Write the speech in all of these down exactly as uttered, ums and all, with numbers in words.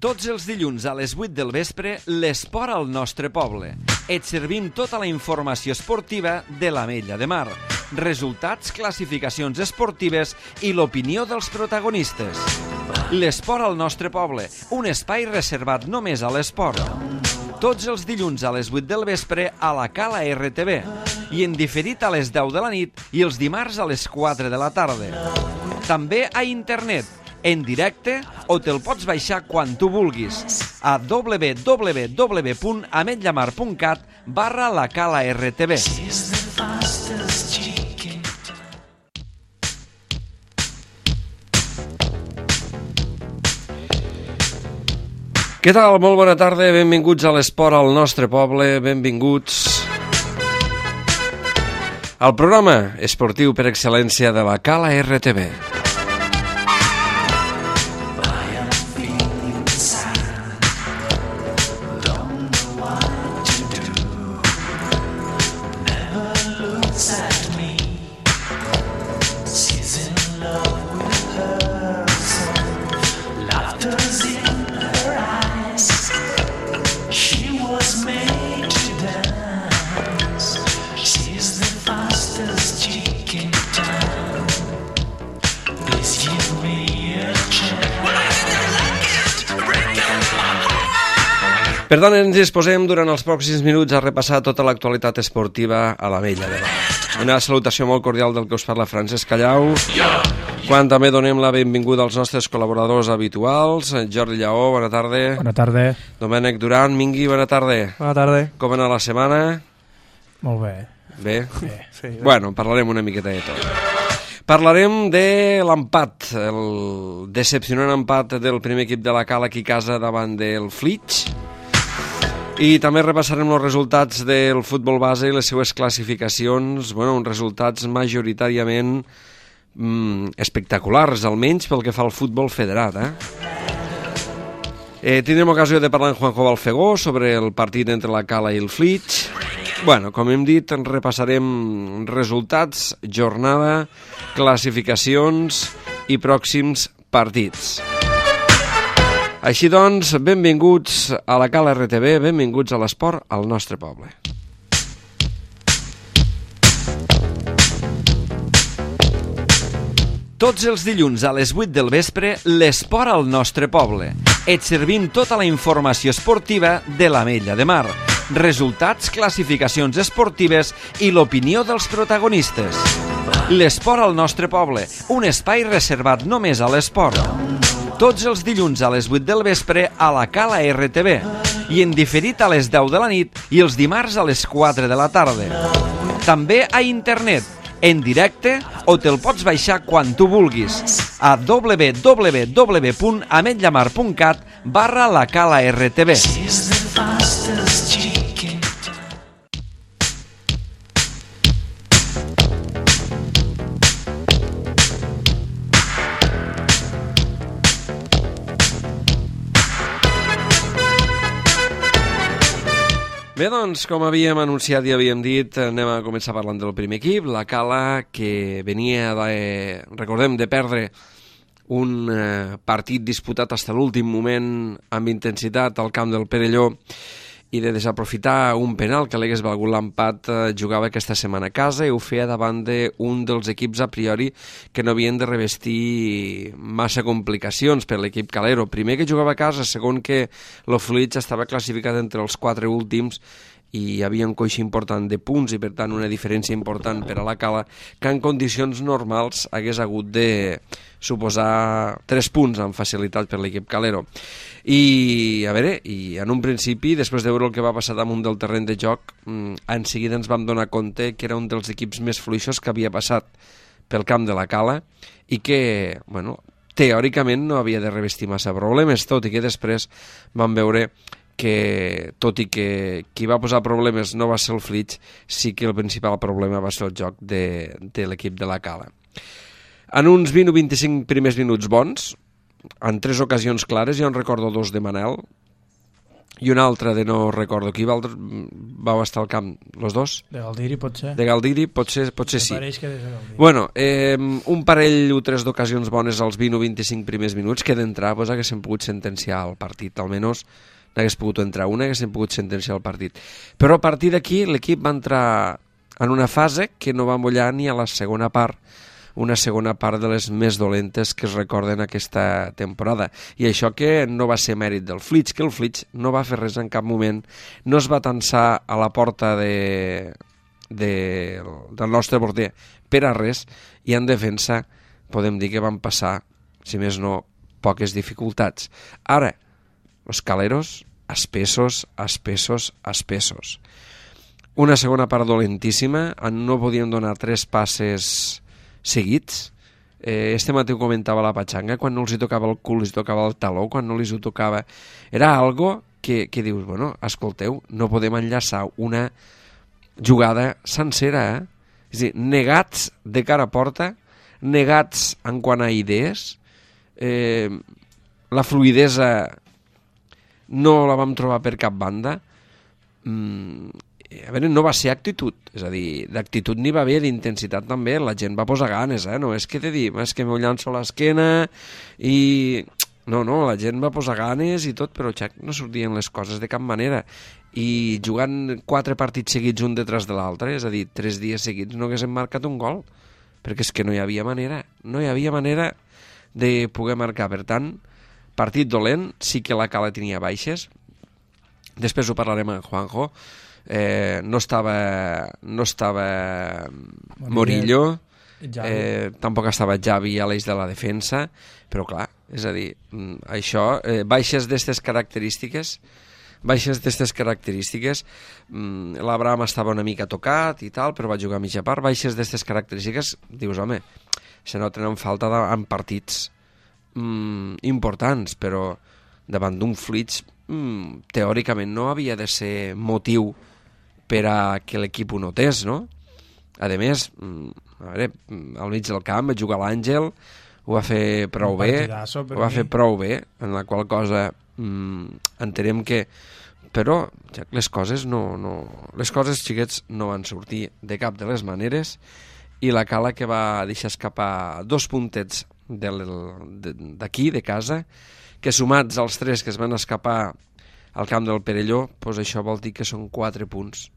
Tots els dilluns a les vuit del vespre, l'esport al nostre poble. Et servim tota la informació esportiva de l'Ametlla de Mar, resultats, classificacions esportives i l'opinió dels protagonistes. L'esport al nostre poble, un espai reservat només a l'esport. Tots els dilluns a les vuit del vespre a la Cala R T V i en diferit a les deu de la nit i els dimarts a les quatre de la tarda. També a internet, en directe, o te'l pots baixar quan tu vulguis a w w w punt ametllamar punt cat barra la Cala R T V. Què tal? Molt bona tarda, benvinguts a l'esport al nostre poble, benvinguts al programa esportiu per excel·lència de la Cala R T V. Per tant, ens disposem durant els pròxims minuts a repassar tota l'actualitat esportiva a l'Ametlla de Mar. Una salutació molt cordial del que us parla Francesc Callau, quan també donem la benvinguda als nostres col·laboradors habituals. Jordi Lleó, bona tarda. Bona tarda. Domènec Duran, Mingui, bona tarda. Bona tarda. Com va anar la setmana? Molt bé. Bé? Bé, sí. Bé. Bueno, parlarem una miqueta de tot. Parlarem de l'empat, el decepcionant empat del primer equip de la Cala aquí a casa davant del Flix. I també repassarem els resultats del futbol base i les seues classificacions, bueno, uns resultats majoritàriament mm, espectaculars, almenys pel que fa al futbol federat. Eh? Eh, tindrem ocasió de parlar amb Juanjo Balfegó sobre el partit entre la Cala i el Flix. Bueno, com hem dit, repassarem resultats, jornada, classificacions i pròxims partits. Així doncs, benvinguts a la Cala R T V, benvinguts a l'esport al nostre poble. Tots els dilluns a les vuit del vespre, l'esport al nostre poble. Et servim tota la informació esportiva de l'Ametlla de Mar, resultats, classificacions esportives i l'opinió dels protagonistes. L'esport al nostre poble, un espai reservat només a l'esport. Tots els dilluns a les vuit del vespre a la Cala R T V i en diferit a les deu de la nit i els dimarts a les quatre de la tarda. També a internet, en directe, o te'l pots baixar quan tu vulguis a w w w punt ametllamar punt cat barra la Cala R T V. Bé, doncs, com havíem anunciat i havíem dit, anem a començar parlant del primer equip, la Cala, que venia, de, recordem, de perdre un eh, partit disputat fins a l'últim moment amb intensitat al camp del Perelló i de desaprofitar un penal que l'hagués valgut l'empat, eh, jugava aquesta setmana a casa i ho feia davant d'un dels equips a priori que no havien de revestir massa complicacions per l'equip calero. Primer que jugava a casa, segon que el Flix estava classificat entre els quatre últims i hi havia un coix important de punts i per tant una diferència important per a la Cala que en condicions normals hagués hagut de suposar tres punts amb facilitat per l'equip calero. I a veure, i en un principi, després de veure el que va passar damunt del terreny de joc, en seguida ens vam donar compte que era un dels equips més fluixos que havia passat pel camp de la Cala i que, bueno, teòricament no havia de revestir massa problemes, tot i que després vam veure que, tot i que qui va posar problemes no va ser el Flix, sí que el principal problema va ser el joc de, de l'equip de la Cala. En uns vint o vint-i-cinc primers minuts bons, en tres ocasions clares, jo en recordo dos de Manel, i un altre de no recordo qui vau estar al camp, los dos? De Galdiri pot ser. De Galdiri potser, potser sí. Pareix que de Galdiri. Bueno, eh, un parell o tres d'ocasions bones als vint o vint-i-cinc primers minuts que d'entrar pues, haguessin pogut sentenciar el partit, almenys n'hagués pogut entrar una, haguessin pogut sentenciar el partit. Però a partir d'aquí l'equip va entrar en una fase que no va mullar ni a la segona part, una segona part de les més dolentes que es recorden aquesta temporada. I això que no va ser mèrit del Flix, que el Flix no va fer res en cap moment, no es va tensar a la porta de, de, del nostre porter per a res, i en defensa podem dir que van passar, si més no, poques dificultats. Ara, els caleros, espessos, espessos, espessos. Una segona part dolentíssima, no podien donar tres passes seguits. Eh, este matí ho comentava la Patxanga, quan no els hi tocava el cul, els hi tocava el taló, quan no els hi tocava... Era algo que, que dius, bueno, escolteu, no podem enllaçar una jugada sencera, eh? És a dir, negats de cara a porta, negats en quant a idees, eh, la fluidesa no la vam trobar per cap banda. Mm, a veure, no va ser actitud, és a dir, d'actitud n'hi va haver, d'intensitat també, la gent va posar ganes, eh? No és que te dic, és que m'ho llanço a l'esquena i... No, no, la gent va posar ganes i tot, però xac, no sortien les coses de cap manera. I jugant quatre partits seguits un detrás de l'altre, és a dir, tres dies seguits no haguéssim marcat un gol, perquè és que no hi havia manera, no hi havia manera de poder marcar. Per tant, partit dolent, sí que la Cala tenia baixes, després ho parlarem amb Juanjo. Eh, no estava no estava Morillo, eh, tampoc estava Javi a l'eix de la defensa, però clar, és a dir, això, eh, baixes d'estes característiques baixes d'estes característiques mm, l'Abraham estava una mica tocat i tal, però va jugar a mitja part, baixes d'estes característiques, dius, home, se noten en falta de, en partits mm, importants, però davant d'un Flix mm, teòricament no havia de ser motiu per a que l'equip ho notés, no? A més, a veure, al mig del camp va jugar l'Àngel, ho va fer prou bé, ho va fer prou bé, en la qual cosa mm, entenem que... Però ja, les coses no, no... Les coses, xiquets, no van sortir de cap de les maneres, i la Cala que va deixar escapar dos puntets d'aquí, de casa, que sumats als tres que es van escapar al camp del Perelló, doncs això vol dir que són quatre punts.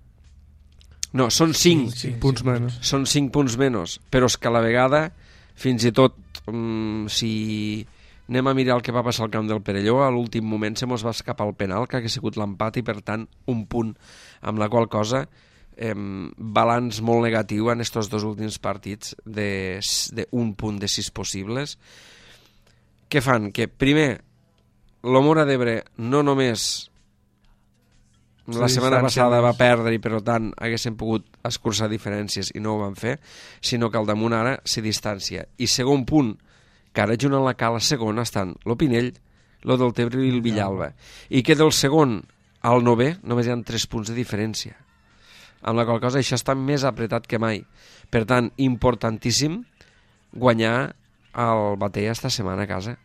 No, són cinc, cinc, cinc punts menys. Són cinc punts menys, però és que a la vegada, fins i tot, um, si anem a mirar el que va passar al camp del Perelló, a l'últim moment se mos va escapar el penal, que hagués sigut l'empat, i per tant un punt, amb la qual cosa eh, balanç molt negatiu en estos dos últims partits d'un punt de sis possibles. Què fan? Que primer, l'Omora d'Ebre no només la setmana passada va perdre i per tant haguessin pogut escurçar diferències i no ho van fer, sinó que al damunt ara s'hi distància. I segon punt, que ara junt a la Cala segon estan l'Opinell, lo del Tebre i el Villalba, i que del segon al novè només hi ha tres punts de diferència, amb la qual cosa això està més apretat que mai. Per tant, importantíssim guanyar el Batea esta setmana a casa.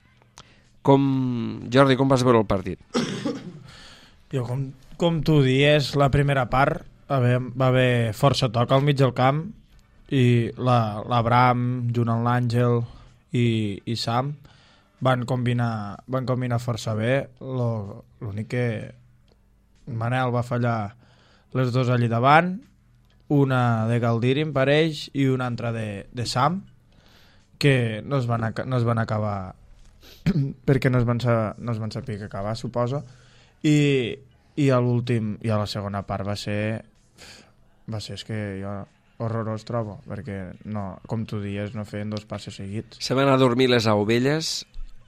Com, Jordi, com vas veure el partit? Jo, com, com tu dies, la primera part va haver, va haver força toc al mig del camp, i l'Abraham, la, junt amb l'Àngel i, i Sam, van combinar, van combinar força bé. L'únic que Manel va fallar les dues allí davant, una de Galdiri, em pareix, i una altra de, de Sam, que no es van, no es van acabar perquè no es van, no es van saber que acabar, suposo. I, i a l'últim, i a la segona part va ser va ser, és que jo horrorós trobo, perquè no, com tu dies, no feien dos passes seguits. Se van a dormir les ovelles,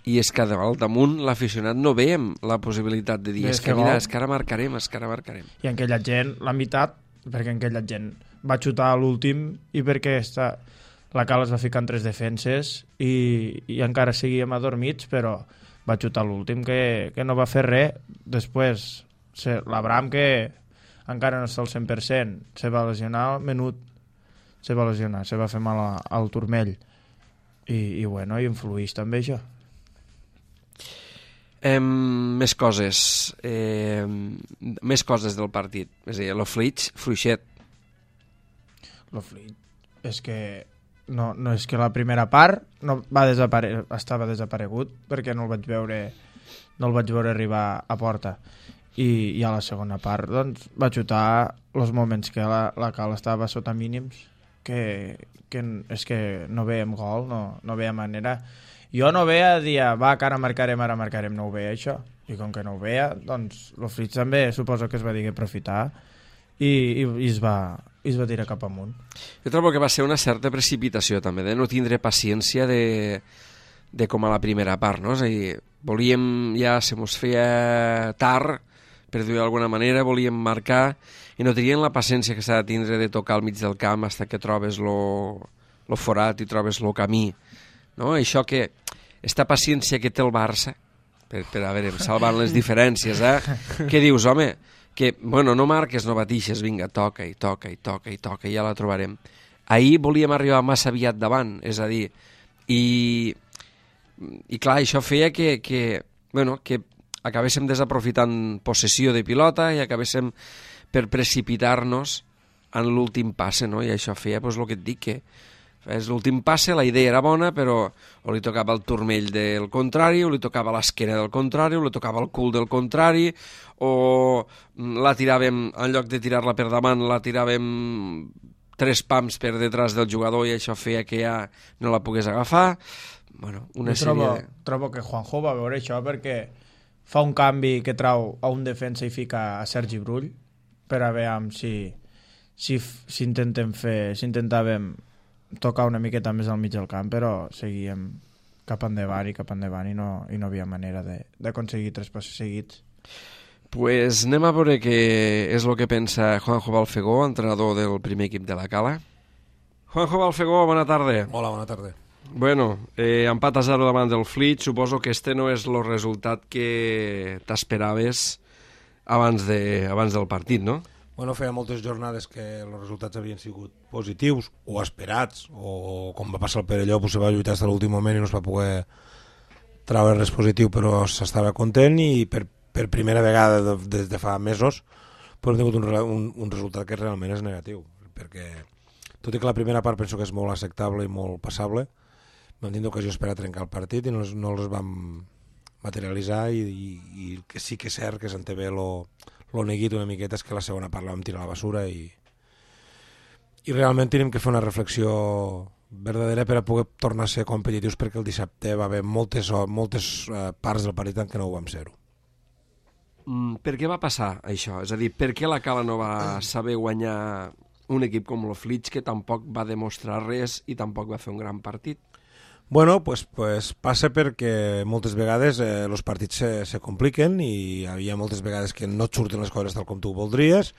i és que al damunt l'aficionat no veiem la possibilitat de dir, és que mira, és que ara marcarem, és que ara marcarem. I en aquella gent, la meitat, perquè en aquella gent va xutar a l'últim, i perquè està, la Cala es va ficar en tres defenses i, i encara seguíem adormits, però va xutar a l'últim, que, que no va fer res. Després, l'Abraham, que encara no està al cent per cent, se va lesionar al menut, se va lesionar, se va fer mal a, al turmell, i, i bueno, i influïx també això. Eh, més coses. Eh, més coses del partit. És a dir, el Flitx, fluixet. El Flitx és que no, no és que la primera part no va desapare... estava desaparegut perquè no el vaig veure no el vaig veure arribar a porta i, i a la segona part doncs va xutar els moments que la, la cal estava sota mínims que, que és que no veiem gol, no, no veia manera. Jo no veia dir, va, que ara marcarem, ara marcarem, no ho veia això. I com que no ho veia, doncs el Flitx també suposo que es va dir que aprofitar i, i, i, es va, i es va tirar cap amunt. Jo trobo que va ser una certa precipitació també, de no tindre paciència de, de com a la primera part, no? És a dir, volíem, ja se mos feia tard, per dir-ho d'alguna manera, volíem marcar i no tenien la paciència que s'ha de tindre de tocar al mig del camp fins que trobes lo, lo forat i trobes lo camí. No? Això que, esta paciència que té el Barça, per, per a veure, salvant les diferències, eh? Què dius, home? Que, bueno, no marques, no batixes, vinga, toca i toca i toca i toca i ja la trobarem. Ahir volíem arribar massa aviat davant, és a dir, i, i clar, això feia que, que, bueno, que acabéssim desaprofitant possessió de pilota i acabéssim per precipitar-nos en l'últim passe, no? I això feia, doncs, el que et dic, que és l'últim passe, la idea era bona, però o li tocava el turmell del contrari, o li tocava l'esquena del contrari, o li tocava el cul del contrari, o la tiràvem, en lloc de tirar-la per davant, la tiràvem tres pams per detrás del jugador i això feia que ja no la pogués agafar. Bueno, una Jo trobo, sèrie... De... trobo que Juanjo va veure això perquè fa un canvi que trau a un defensa i fica a Sergi Brull per a veure si, si, si intentem fer, si intentàvem tocar una miqueta més al mig del camp, però seguíem cap endavant i cap endavant i no, i no havia manera d'aconseguir tres passos seguits. Pues anem a veure què és el que pensa Juanjo Balfegó, entrenador del primer equip de la Cala. Juanjo Balfegó, bona tarda. Hola, bona tarda. Bueno, eh, empat a zero davant del Flitx, suposo que este no és el resultat que t'esperaves abans, de, abans del partit, no? Bueno, feia moltes jornades que els resultats havien sigut positius o esperats, o com va passar el Perelló, pues, se va lluitar fins a l'últim moment i no es va poder treure res positiu, però s'estava content i per, per primera vegada de, des de fa mesos pues, hem tingut un, un, un resultat que realment és negatiu, perquè tot i que la primera part penso que és molt acceptable i molt passable, vam tenir ocasions per a trencar el partit i no, no els vam materialitzar i, i, i el que sí que és cert que se'n té bé lo, lo neguit una miqueta és que la segona part la vam tirar a la basura i, i realment tenim que fer una reflexió verdadera per a poder tornar a ser competitius perquè el dissabte va haver moltes, moltes uh, parts del partit en què no ho vam ser-ho. Mm, per què va passar això? És a dir, per què la Cala no va saber guanyar un equip com el Flitx que tampoc va demostrar res i tampoc va fer un gran partit? Bueno, pues, pues passa perquè moltes vegades eh, els partits se, se compliquen i hi ha moltes vegades que no et surten les coses tal com tu voldries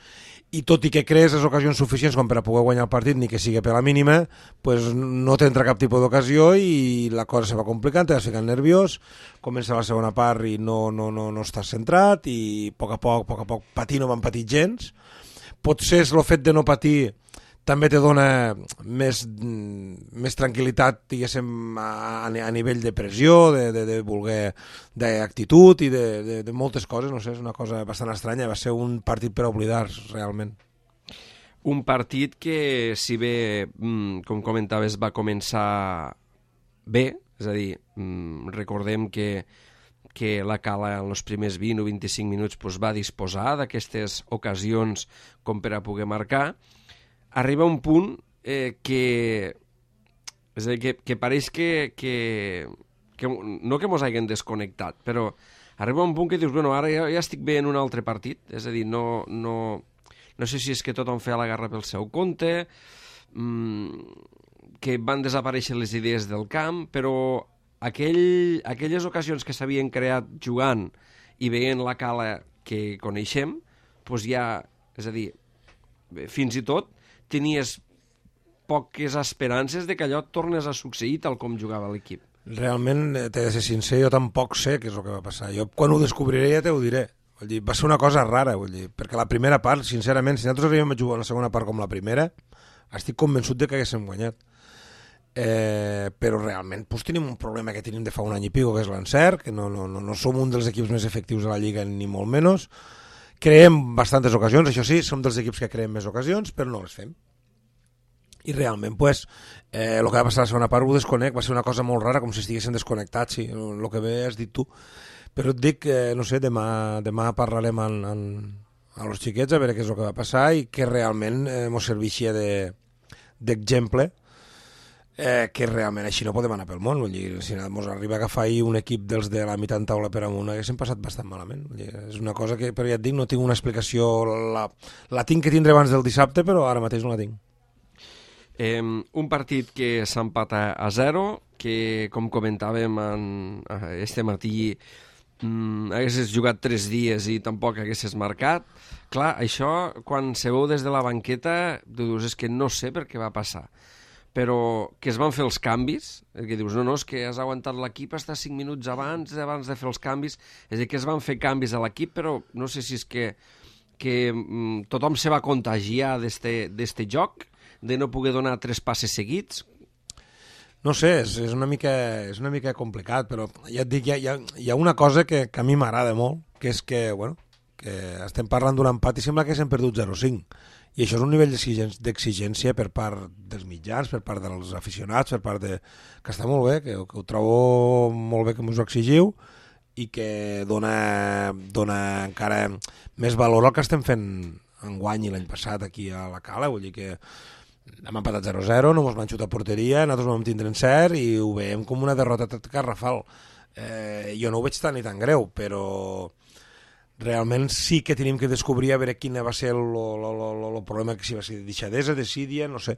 i tot i que crees les ocasions suficients com per a poder guanyar el partit, ni que sigui per la mínima, pues no t'entra cap tipus d'ocasió i la cosa se va complicant, te vas ficant nerviós, comença la segona part i no, no, no, no estàs centrat i a poc a poc, a poc a poc, patir no van patir gens. Potser és el fet de no patir també te dona més, més tranquil·litat, diguéssim, a, a nivell de pressió, de, de, de voler, d'actitud i de, de, de moltes coses, no sé, és una cosa bastant estranya, va ser un partit per oblidar, realment. Un partit que, si bé, com comentaves, va començar bé, és a dir, recordem que, que la Cala en els primers vint o vint-i-cinc minuts pues, va disposar d'aquestes ocasions com per a poder marcar, arriba un punt eh, que, és a dir, que, que pareix que, que, que no que mos hagin desconnectat, però arriba un punt que dius, bueno, ara ja, ja estic bé en un altre partit, és a dir, no, no, no sé si és que tothom feia la guerra pel seu compte, mmm, que van desaparèixer les idees del camp, però aquell, aquelles ocasions que s'havien creat jugant i veient la Cala que coneixem, doncs ja, és a dir, fins i tot tenies poques esperances de que allò tornés a succeir tal com jugava l'equip. Realment, t'he de ser sincer, jo tampoc sé què és el que va passar. Jo quan ho descobriré ja te ho diré. Vull dir, va ser una cosa rara, vull dir, perquè la primera part, sincerament, si nosaltres havíem jugat la segona part com la primera, estic convençut de que haguéssim guanyat. eh, però realment pues, tenim un problema que tenim de fa un any i pico, que és l'encert, que no, no, no, no som un dels equips més efectius de la Lliga ni molt menys. Creem bastantes ocasions, això sí, som dels equips que creem més ocasions, però no les fem. I realment, pues, eh, el que va passar la segona part ho desconec, va ser una cosa molt rara, com si estiguessin desconnectats, sí, el que bé has dit tu. Però et dic que, no sé, demà, demà parlarem en, en, a los xiquets a veure què és el que va passar i que realment eh, mos servixia d'exemple eh, que realment així no podem anar pel món. Vull dir, si ens arriba a agafar un equip dels de la meitat taula per amunt haguéssim passat bastant malament. Vull dir, és una cosa que, però ja et dic, no tinc una explicació, la, la tinc que tindre abans del dissabte, però ara mateix no la tinc. Eh, un partit que s'empata a zero, que com comentàvem en, este matí mm, haguessis jugat tres dies i tampoc haguessis marcat. Clar, això quan se veu des de la banqueta tu dius, és que no sé per què va passar, però que es van fer els canvis, que dius, no, no, és que has aguantat l'equip hasta cinc minuts abans abans de fer els canvis, és a dir, que es van fer canvis a l'equip, però no sé si és que, que mm, tothom se va contagiar d'este joc, de no poder donar tres passes seguits? No sé, és, és, una, mica, és una mica complicat, però ja et dic, hi ha, hi ha, hi ha una cosa que, que a mi m'agrada molt, que és que, bueno, que estem parlant d'un empat i sembla que s'hem perdut zero cinc. I això és un nivell d'exigència per part dels mitjans, per part dels aficionats, per part de... que està molt bé, que, que ho trobo molt bé que m'ho exigiu i que dona, dona encara més valor al que estem fent enguany i l'any passat aquí a la Cala. Vull dir que hem empatat zero zero, no mos van xutar a porteria, nosaltres vam tindre encert i ho veiem com una derrota garrafal. Eh, jo no ho veig tan ni tan greu, però realment sí que tenim que descobrir a veure quin va ser el problema, que si va ser deixadesa, desídia, no sé.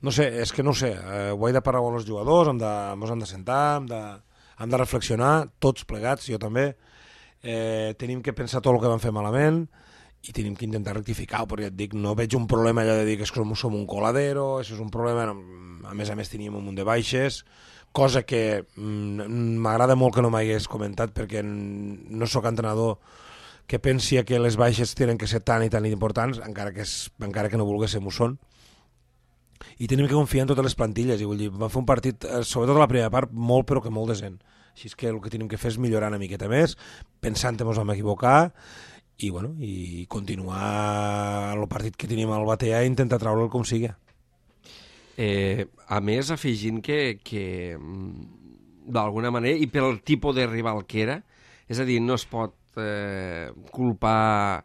No sé, és que no sé, eh, ho he de parlar amb els jugadors, hem de, ens hem de sentar, hem de, hem de reflexionar, tots plegats, jo també. Eh, tenim que pensar tot el que vam fer malament, i tenim que intentar rectificar, però ja et dic, no veig un problema allò de dir que som, som un coladero, això és un problema, a més a més teníem un munt de baixes, cosa que m'agrada molt que no m'hagués comentat, perquè no sóc entrenador que pensi que les baixes tenen que ser tan i tan importants, encara que, és, encara que no volguéssim ho són, i tenim que confiar en totes les plantilles, i vull dir, vam fer un partit, sobretot a la primera part, molt però que molt decent, així que el que tenim que fer és millorar una miqueta més, pensant que ens vam equivocar, i, bueno, i continuar el partit que tenim al batear i intentar treure'l com sigui. Eh, a més, afegint que, que d'alguna manera, i pel tipus de rival que era, és a dir, no es pot eh, culpar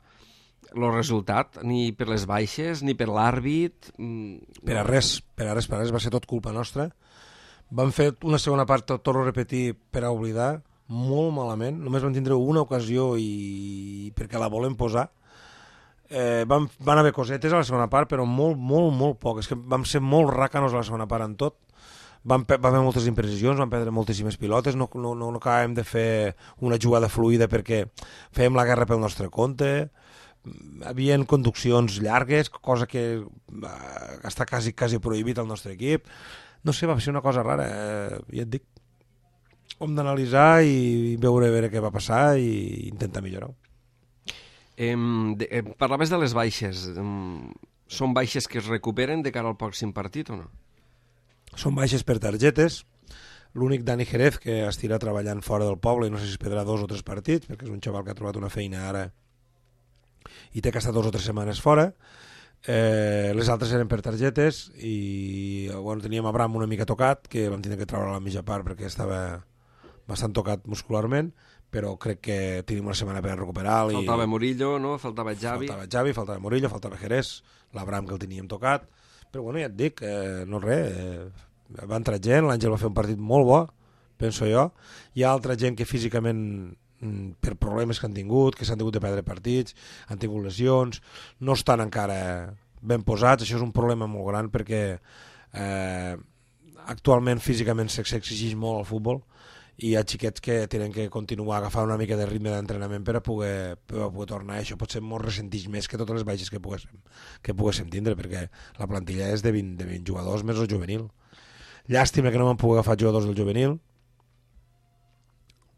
el resultat, ni per les baixes, ni per l'àrbit. Per a res, per a res, per a res, va ser tot culpa nostra. Vam fer una segona part, torno a repetir, per a oblidar, molt malament, només vam tindre una ocasió i perquè la volem posar. Eh, van, van haver cosetes a la segona part, però molt, molt, molt poc. És que vam ser molt ràcanos a la segona part en tot. Vam, vam haver moltes imprecisions, vam perdre moltíssimes pilotes, no, no, no, no acabàvem de fer una jugada fluida perquè fèiem la guerra pel nostre compte. Havien conduccions llargues, cosa que eh, està quasi, quasi prohibit al nostre equip. No sé, va ser una cosa rara, eh, ja et dic. Hem d'analitzar i veure, veure què va passar i intentar millorar-ho. Eh, de, eh, parlaves de les baixes. Eh, són baixes que es recuperen de cara al pròxim partit o no? Són baixes per targetes. L'únic Dani Jerez, que estirà treballant fora del poble i no sé si es perdrà dos o tres partits, perquè és un xaval que ha trobat una feina ara i té que estar dos o tres setmanes fora. Eh, les altres eren per targetes i bueno, teníem Abraham una mica tocat, que vam tenir que treure a la mitja part perquè estava bastant tocat muscularment, però crec que tenim una setmana per recuperar. Faltava i... Murillo, no? Faltava Xavi. Faltava Xavi, faltava Murillo, faltava Jerez, l'Abraham que el teníem tocat, però bueno, ja et dic, eh, no res, eh, va entrar gent, l'Àngel va fer un partit molt bo, penso jo, hi ha altra gent que físicament per problemes que han tingut, que s'han tingut de perdre partits, han tingut lesions, no estan encara ben posats, això és un problema molt gran perquè eh, actualment físicament s'exigeix molt al futbol i hi ha xiquets que tenen que continuar a agafar una mica de ritme d'entrenament per a poder, per a poder tornar. Això potser molt ressentix més que totes les baixes que poguéssim, que poguéssim tindre, perquè la plantilla és de vint, de vint jugadors més el juvenil. Llàstima que no vam poder agafar jugadors del juvenil,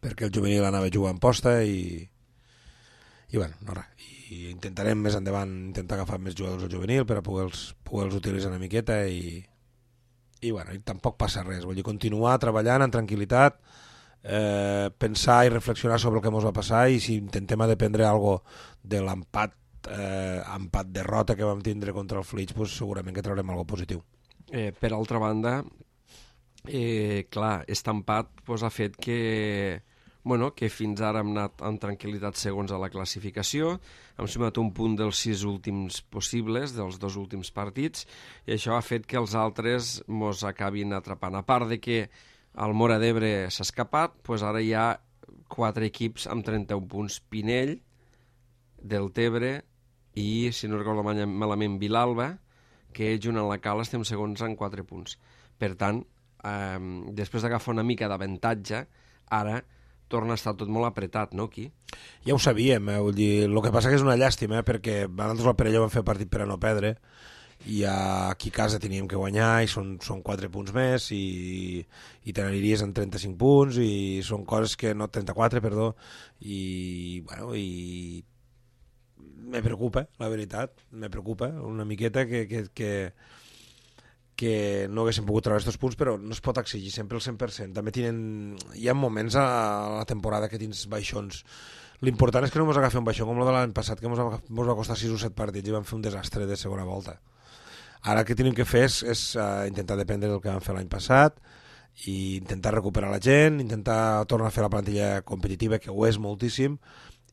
perquè el juvenil anava a jugar en posta i, i bueno, no res. I intentarem més endavant intentar agafar més jugadors del juvenil per a poder-los poder utilitzar una miqueta i, i, bueno, i tampoc passa res, vull dir, continuar treballant en tranquil·litat, eh, pensar i reflexionar sobre el que ens va passar, i si intentem dependre algo de l'empat eh, empat derrota que vam tindre contra el Flix, pues, segurament que traurem algo positiu. Eh, per altra banda, eh, clar, aquest empat pues, ha fet que, bueno, que fins ara hem anat amb tranquil·litat segons a la classificació, hem sumat un punt dels sis últims possibles, dels dos últims partits, i això ha fet que els altres mos acabin atrapant. A part de que el Móra d'Ebre s'ha escapat, pues ara hi ha quatre equips amb trenta-un punts. Pinell, Deltebre i, si no recordo malament, Vilalba, que junt amb la Cala estem segons en quatre punts. Per tant, eh, després d'agafar una mica d'avantatge, ara torna a estar tot molt apretat, no, aquí? Ja ho sabíem, eh? Vull dir, el que passa que és una llàstima, eh? Perquè nosaltres al Perelló vam fer partit per a no perdre, i aquí a casa teníem que guanyar, i són, són quatre punts més, i, i te n'aniries en trenta-cinc punts, i són coses que no... trenta-quatre, perdó, i, bueno, i me preocupa, la veritat, me preocupa una miqueta que, que, que, que no haguéssim pogut treure aquests punts, però no es pot exigir sempre el cent per cent. També tenen, hi ha moments a la temporada que tens baixons. L'important és que no ens agafi un baixón com el de l'any passat, que ens va, va costar sis o set partits i vam fer un desastre de segona volta. Ara el que tenim que fer és, és uh, intentar dependre del que vam fer l'any passat, i intentar recuperar la gent, intentar tornar a fer la plantilla competitiva, que ho és moltíssim,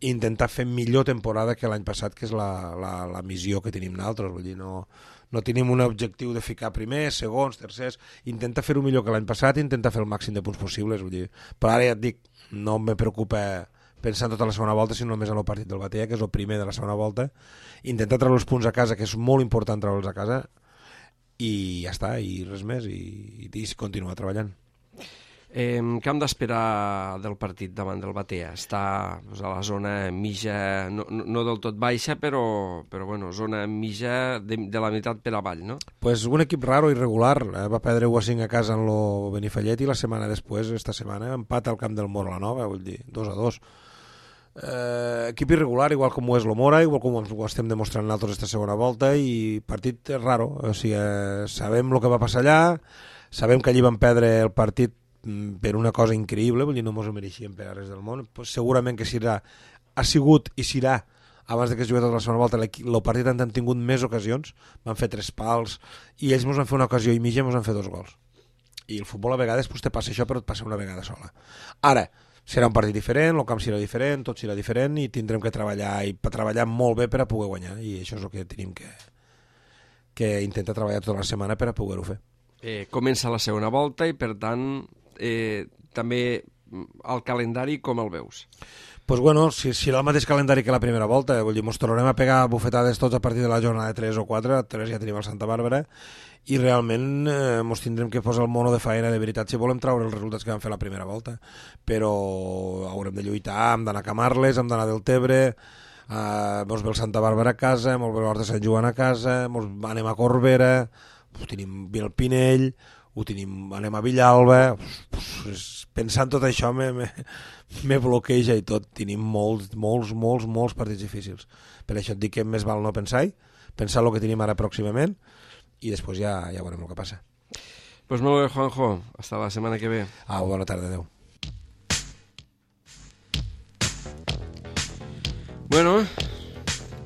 i intentar fer millor temporada que l'any passat, que és la, la, la missió que tenim nosaltres. Vull dir, no, no tenim un objectiu de ficar primers, segons, tercers, intenta fer-ho millor que l'any passat i intenta fer el màxim de punts possibles. Vull dir. Però ara ja et dic, no me preocupa pensar en tota la segona volta, sinó només en el partit del Batea, que és el primer de la segona volta, intentar treure els punts a casa, que és molt important treure'ls a casa, i ja està, i res més, i, i continuar treballant. Eh, què hem d'esperar del partit davant del Batea? Està doncs, a la zona mitja, no, no, no del tot baixa, però, però bueno, zona mitja de, de la meitat per avall, no? Pues un equip raro, irregular, eh? Va perdre u a cinc a casa en lo Benifallet, i la setmana després, esta setmana, empat al camp del Mora la Nova, vull dir, dos a dos. Eh, equip irregular, igual com ho és lo Mora, igual com ho estem demostrant nosaltres esta segona volta, i partit raro, o sigui, eh, sabem el que va passar allà, sabem que allí van perdre el partit per una cosa increïble, vull dir, no mos ho mereixíem per a res del món, pues segurament que serà, ha sigut i serà, abans de que es jugui tota la segona volta, el partit han tingut més ocasions, van fer tres pals, i ells mos van fer una ocasió i mitja, mos van fer dos gols. I el futbol a vegades pues, te passa això, però et passa una vegada sola. Ara, serà un partit diferent, el camp serà diferent, tot serà diferent, i tindrem que treballar, i treballar molt bé per a poder guanyar, i això és el que tenim que, que intentar treballar tota la setmana per a poder-ho fer. Eh, comença la segona volta, i per tant Eh, també el calendari com el veus? Pues bueno, si, si era el mateix calendari que la primera volta, vull dir, mos tornarem a pegar bufetades tots a partir de la jornada de tres o quatre, tres ja tenim el Santa Bàrbara, i realment eh, mos tindrem que posar el mono de faena de veritat si volem treure els resultats que vam fer la primera volta, però haurem de lluitar, hem d'anar a Camarles, hem d'anar a Deltebre, eh, mos ve el Santa Bàrbara a casa, mos ve l'Hort de Sant Joan a casa, mos anem a Corbera, tenim el Pinell, ho tenim, anem a Villalba, pensant tot això me, me, me bloqueja i tot, tenim molts, molts, molts, molts partits difícils. Per això et dic que més val no pensar-hi, pensar el que tenim ara pròximament, i després ja, ja veurem el que passa. Pues molt bé, Juanjo, hasta la setmana que ve. Ah, bona tarda, adeu. Bueno,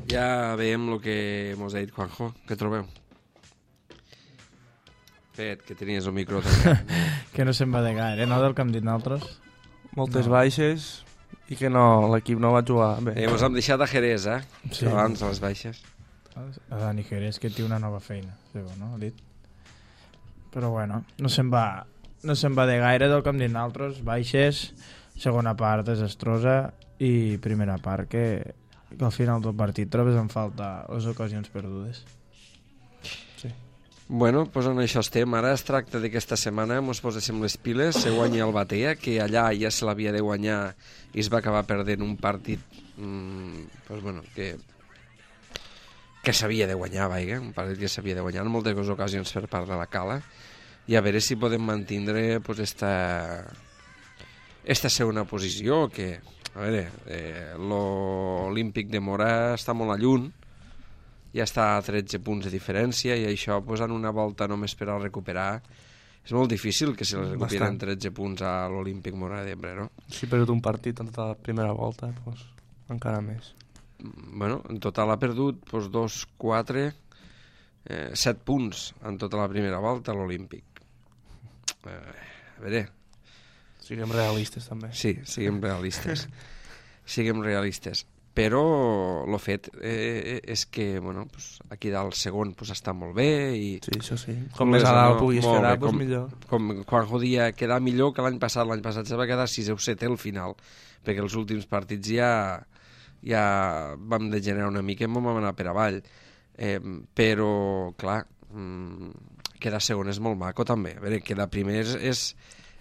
ja veiem el que mos ha dit Juanjo, què trobeu? Fet, que tenies el micro tancat. Que no se'n va de gaire, no, del que hem dit nosaltres? Moltes no. baixes i que no, l'equip no va jugar bé. Eh, mos hem deixat a Jerez, eh? Sí. Abans de les baixes. A Dani Jerez, que té una nova feina, no? Ha dit. Però bueno, no se'n va, no se'n va de gaire del que hem dit nosaltres, baixes, segona part desastrosa, i primera part que, que al final del partit trobes en falta les ocasions perdudes. Sí. Bueno, doncs en això estem. Ara es tracta d'aquesta setmana mos poséssim les piles, se guanya el Batea, que allà ja se l'havia de guanyar i es va acabar perdent un partit mmm, doncs bueno, que que s'havia de guanyar, vaja, un partit que s'havia de guanyar en moltes ocasions per part de la Cala, i a veure si podem mantindre pues, esta, esta segona posició, que a veure, eh, l'Olímpic de Mora està molt a lluny, ja està a tretze punts de diferència i això pues, en una volta només per a recuperar és molt difícil que se les recuperen tretze punts a l'Olímpic Móra d'Ebre, no? Si ha perdut un partit en tota la primera volta, doncs encara més. Bueno, en total ha perdut doncs, dos, quatre, eh, set punts en tota la primera volta a l'Olímpic. Eh, a veure... Siguem realistes, també. Sí, siguem realistes. siguem realistes. Però el fet eh, és que bueno, pues, aquí dalt segon pues, està molt bé i... Sí, això sí. Com més a dalt no, puguis quedar, bé, doncs com, millor. Com Juanjo dia quedar millor que l'any passat. L'any passat se va quedar sisè o setè al final, perquè els últims partits ja, ja vam degenerar una mica i vam anar per avall. Eh, però, clar, mm, quedar segon és molt maco també. A veure, quedar primer és, és,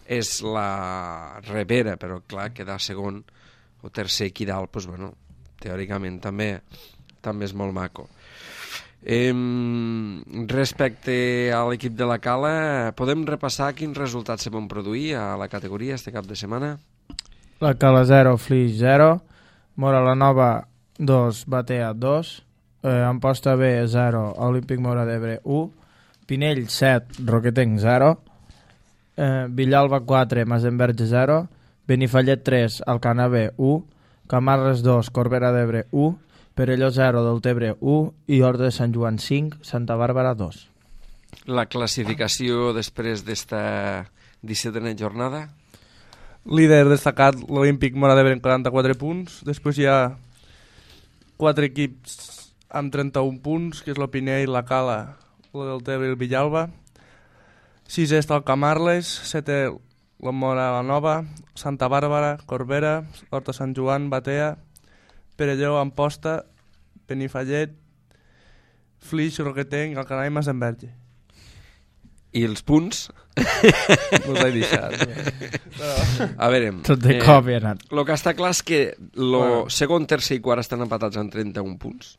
és la repera, però clar, quedar segon o tercer aquí dalt, doncs, bueno, teòricament també també és molt maco. Eh, respecte a l'equip de la Cala, podem repassar quins resultats se van produir a la categoria este cap de setmana? La Cala zero, Flix zero, Mora la Nova dos, Batea dos, eh, Amposta B zero, Olímpic Móra d'Ebre u, Pinell set, Roquetenc zero, eh, Villalba quatre, Masenverge zero, Benifallet tres, Alcanar B u, Camarles dos, Corbera d'Ebre u, Perelló zero, Deltebre u i Horta de Sant Joan cinc, Santa Bàrbara dos. La classificació després d'esta dissetena jornada? Líder destacat l'Olímpic Móra d'Ebre amb quaranta-quatre punts. Després hi ha quatre equips amb trenta-un punts, que és la Pinell, la Cala, la Deltebre i el Villalba. Sisè està el Camarles, setè la Mora la Nova, Santa Bàrbara, Corbera, Horta Sant Joan, Batea, Perelló, Amposta, Benifallet, Flix, Roquetenc, Alcanar i Masenverge. I els punts? No us he deixat. Però... A veure... Tot de cop hi ha anat. El que està clar és que el bueno. segon, tercer i quart estan empatats en trenta-un punts.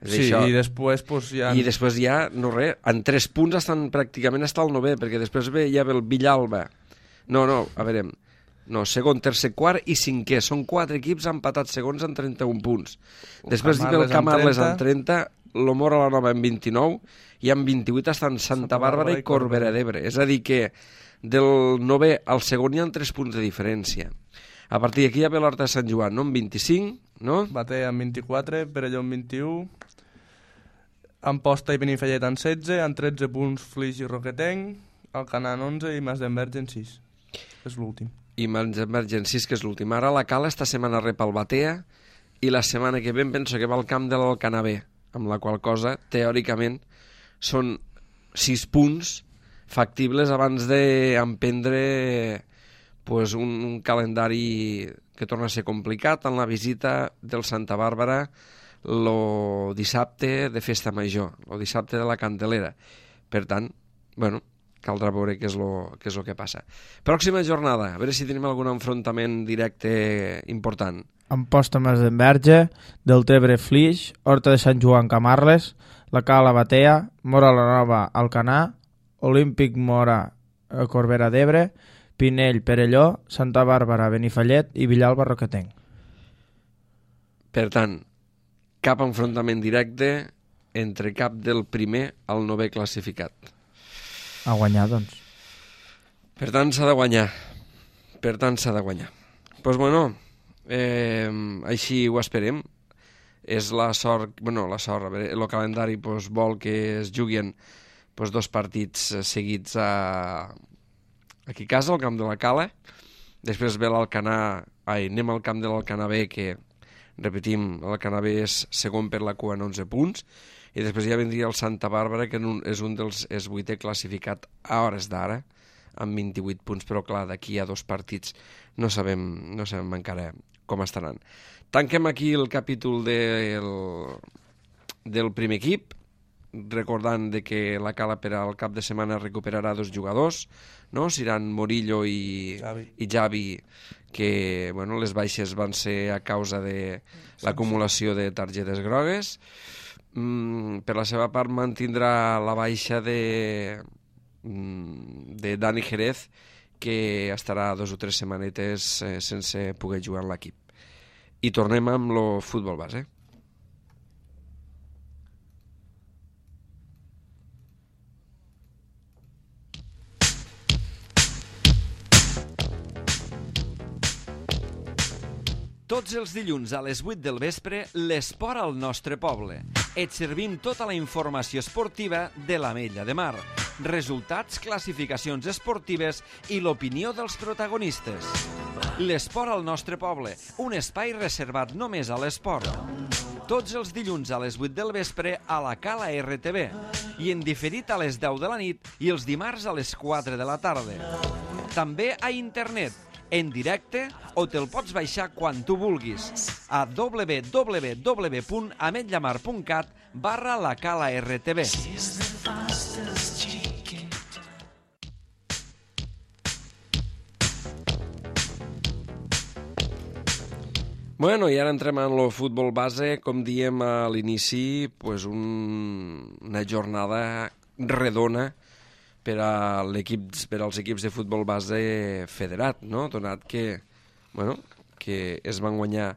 És sí, això. i després pues, ja... I després ja, no res, en tres punts estan pràcticament està al novè, perquè després ve, ja ve el Villalba. No, no, a veure, no, segon, tercer, quart i cinquè. Són quatre equips empatats segons en trenta-un punts. El després ve el Camarles amb trenta, el Mora la Nova amb vint-i-nou i amb vint-i-vuit estan Santa Bàrbara i Corbera d'Ebre. És a dir que del novè al segon hi ha tres punts de diferència. A partir d'aquí ja ve l'Horta de Sant Joan, no? Amb vint-i-cinc, no? Batea amb vint-i-quatre, Perelló amb vint-i-u, Amposta i Benifallet en setze, en tretze punts Flix i Roquetenc, Alcanar en onze i Masenverge en sis. És l'últim. I Masenverge en sis, que és l'últim. Ara la Cala esta setmana rep el Batea i la setmana que ve penso que va al camp de l'Alcanar B, amb la qual cosa, teòricament, són sis punts factibles abans d'emprendre pues, un, un calendari que torna a ser complicat en la visita del Santa Bàrbara el dissabte de Festa Major, el dissabte de la Candelera. Per tant, bueno, caldrà veure què és lo, què és lo que passa. Pròxima jornada, a veure si tenim algun enfrontament directe important. Amposta Masenverge, Deltebre Flix, Horta de Sant Joan Camarles, la Cala Batea, Mora la Nova Alcanar, Olímpic Móra Corbera d'Ebre, Pinell Perelló, Santa Bàrbara Benifallet i Villalba Roquetenc. Per tant, cap enfrontament directe entre cap del primer al novè classificat. A guanyar, doncs. Per tant, s'ha de guanyar. Per tant, s'ha de guanyar. Doncs, pues, bueno, eh, així ho esperem. És la sort, bueno, la sort, a veure, el calendari pues, vol que es juguin pues, dos partits seguits a... aquí a casa, al camp de la Cala. Després ve l'Alcanar, ai, anem al camp de l'Alcanar B, que, repetim, l'Alcanar B és segon per la cua en onze punts, i després ja vendria el Santa Bàrbara, que és un dels és vuitè classificat a hores d'ara, amb vint-i-vuit punts, però clar, d'aquí a dos partits no sabem, no sabem encara com estaran. Tanquem aquí el capítol del, del primer equip, recordant de que la Cala per al cap de setmana recuperarà dos jugadors, no? Seran Morillo i Javi, i Javi que bueno, les baixes van ser a causa de l'acumulació de targetes grogues. Mm, per la seva part mantindrà la baixa de, de Dani Jerez, que estarà dos o tres setmanetes eh, sense poder jugar en l'equip. I tornem amb el futbol base. Tots els dilluns a les vuit del vespre, l'esport al nostre poble. Et servim tota la informació esportiva de l'Ametlla de Mar, resultats, classificacions esportives i l'opinió dels protagonistes. L'esport al nostre poble, un espai reservat només a l'esport. Tots els dilluns a les vuit del vespre a la Cala R T V i en diferit a les deu de la nit i els dimarts a les quatre de la tarda. També a internet, en directe, o te'l pots baixar quan tu vulguis a w w w punt ametllamar punt cat barra la Cala R T V. Bueno, i ara entrem en el futbol base, com diem a l'inici, pues un, una jornada redona per, a per als equips de futbol base federat, no? Donat que, bueno, que es van guanyar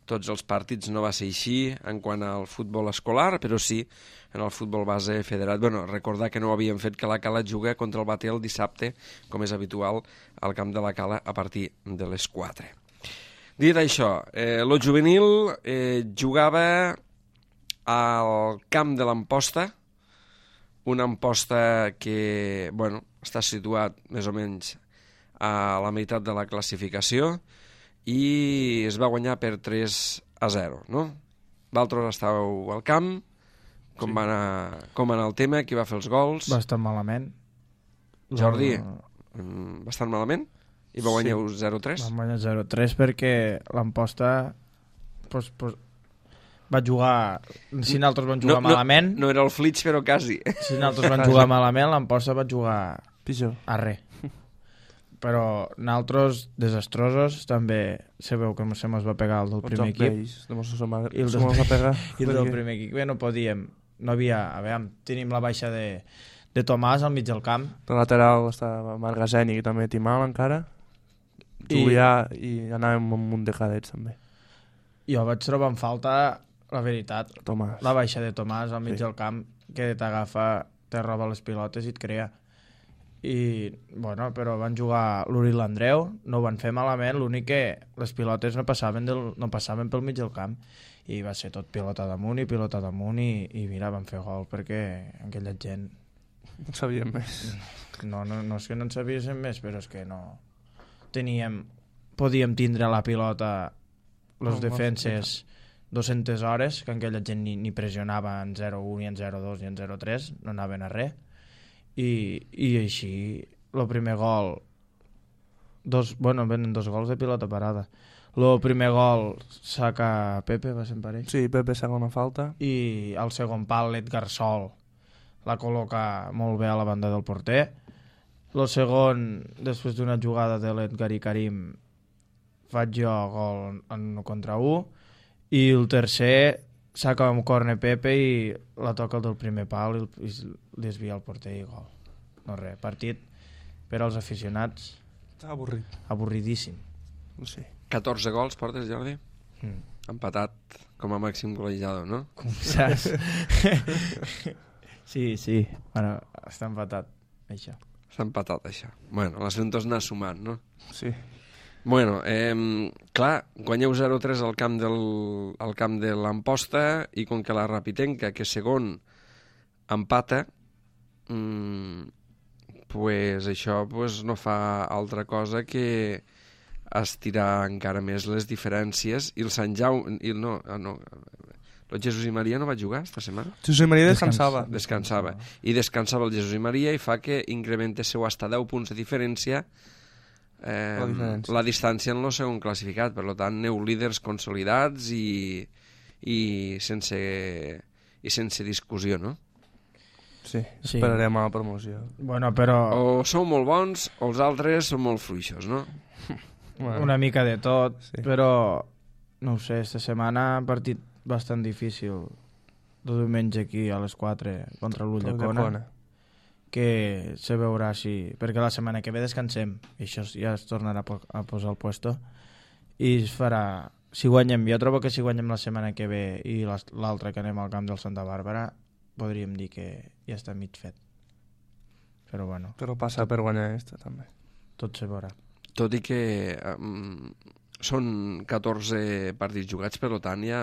tots els partits, no va ser així en quant al futbol escolar, però sí en el futbol base federat. Bueno, recordar que no havíem fet que la Cala juga contra el Batea el dissabte, com és habitual, al camp de la Cala a partir de les quatre. Dit això, eh, el juvenil eh, jugava al camp de l'Amposta, una Amposta que, bueno, està situat més o menys a la meitat de la classificació i es va guanyar per tres a zero, no? D'altres estàveu al camp, com, sí. va anar, com va anar el tema, qui va fer els gols? Bastant malament. Jordi, La... bastant malament? I va guanyar sí. zero a tres? Va guanyar zero a tres perquè l'Amposta pues, pues, va jugar... Si nosaltres vam jugar no, malament... No, no era el Flitx, però quasi. Si nosaltres vam jugar malament, l'Amposta va jugar pitjor. A res. Però nosaltres, desastrosos, també sabeu que se mos va pegar el del primer equip. I el del, pegar, i el del primer equip. Bé, no podíem... No havia... A veure, tenim la baixa de, de Tomàs al mig del camp. El lateral estava Margaseni, que també té mal encara. Julià i, i anàvem un munt de cadets també. Jo vaig trobar en falta, la veritat, Tomàs. La baixa de Tomàs al mig sí. del camp, que t'agafa, te roba les pilotes i et crea. I, bueno, però van jugar l'Uri i l'Andreu, no ho van fer malament, l'únic que les pilotes no passaven, del, no passaven pel mig del camp i va ser tot pilota damunt i pilota damunt i, i mira, van fer gol perquè aquella gent... No sabíem més. No, no, no és que no en sabíem més, però és que no... Teníem, podíem tindre la pilota les no, defenses dues-centes hores, que aquella gent ni, ni pressionava en zero un, ni en zero dos, ni en zero tres, no anaven a res. I, i així, el primer gol, dos, bueno, venen dos gols de pilota parada. El primer gol saca Pepe, va ser per ell. Sí, Pepe saca una falta. I al segon pal l'Edgar Sol la col·loca molt bé a la banda del porter. El segon, després d'una jugada de l'Edgar i Karim, faig jo gol en un contra un, i el tercer saca un corner Pepe i la toca el del primer pal i, i desvia el porter i gol. No res, partit per als aficionats avorrit. Avorridíssim. No sé. catorze gols portes, Jordi? Mm. Empatat com a màxim golejador, no? Com saps? Sí, sí, bueno, està empatat, això. S'ha empatat, això. Bueno, l'assumpte és anar sumant, no? Sí. Bueno, eh, clar, guanyeu zero a tres al camp, del, al camp de l'Amposta i com que la Rapitenca, que segon empata, mmm, pues això pues, no fa altra cosa que estirar encara més les diferències i el Sant Jaume... I no, no, el Jesús i Maria no va jugar esta setmana? Jesús i Maria descansava. Descansava. I descansava el Jesús i Maria i fa que incremente seu hasta deu punts de diferència eh, la, diferència. la distància en el segon classificat. Per tant, aneu líders consolidats i, i, sense, i sense discussió, no? Sí, sí, esperarem a la promoció. Bueno, però... O sou molt bons o els altres són molt fluixos, no? Bueno. Una mica de tot, sí. Però no ho sé, esta setmana partit bastant difícil de diumenge aquí a les quatre contra l'Ulldecona, que se veurà si... Perquè la setmana que ve descansem i això ja es tornarà a posar al puesto i es farà... Si guanyem, jo trobo que si guanyem la setmana que ve i l'altra que anem al camp del Santa Bàrbara podríem dir que ja està mig fet, però bueno, però passa per guanyar aquesta també, tot se veurà. Tot i que um, són catorze partits jugats, per tant ja,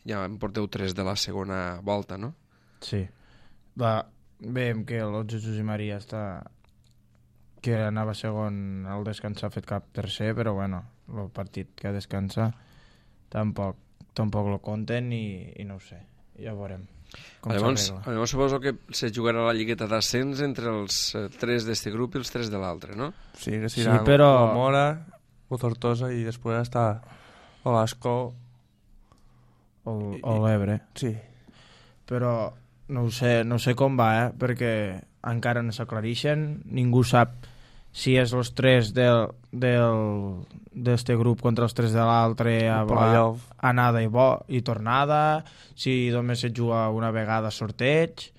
ja en porteu tres de la segona volta, no? Sí. Va, veiem que el Jesús i Maria està... que anava segon al descansar ha fet cap tercer, però bueno, el partit que descansa tampoc, tampoc lo compten i, i no ho sé, ja veurem com llavors, s'arregla. llavors suposo que se jugarà la lligueta d'ascens entre els eh, tres d'este grup i els tres de l'altre, no? Sí, que Sí, serà però- o Mora, o Tortosa, i després està o l'Ascó. O, o l'Ebre. Sí, Però no ho sé, no sé com va, eh? Perquè encara no s'aclareixen, ningú sap si és els tres del del d'este grup contra els tres de l'altre a, El playoff. a, anada i, bo, i tornada, si només se juga una vegada sorteig,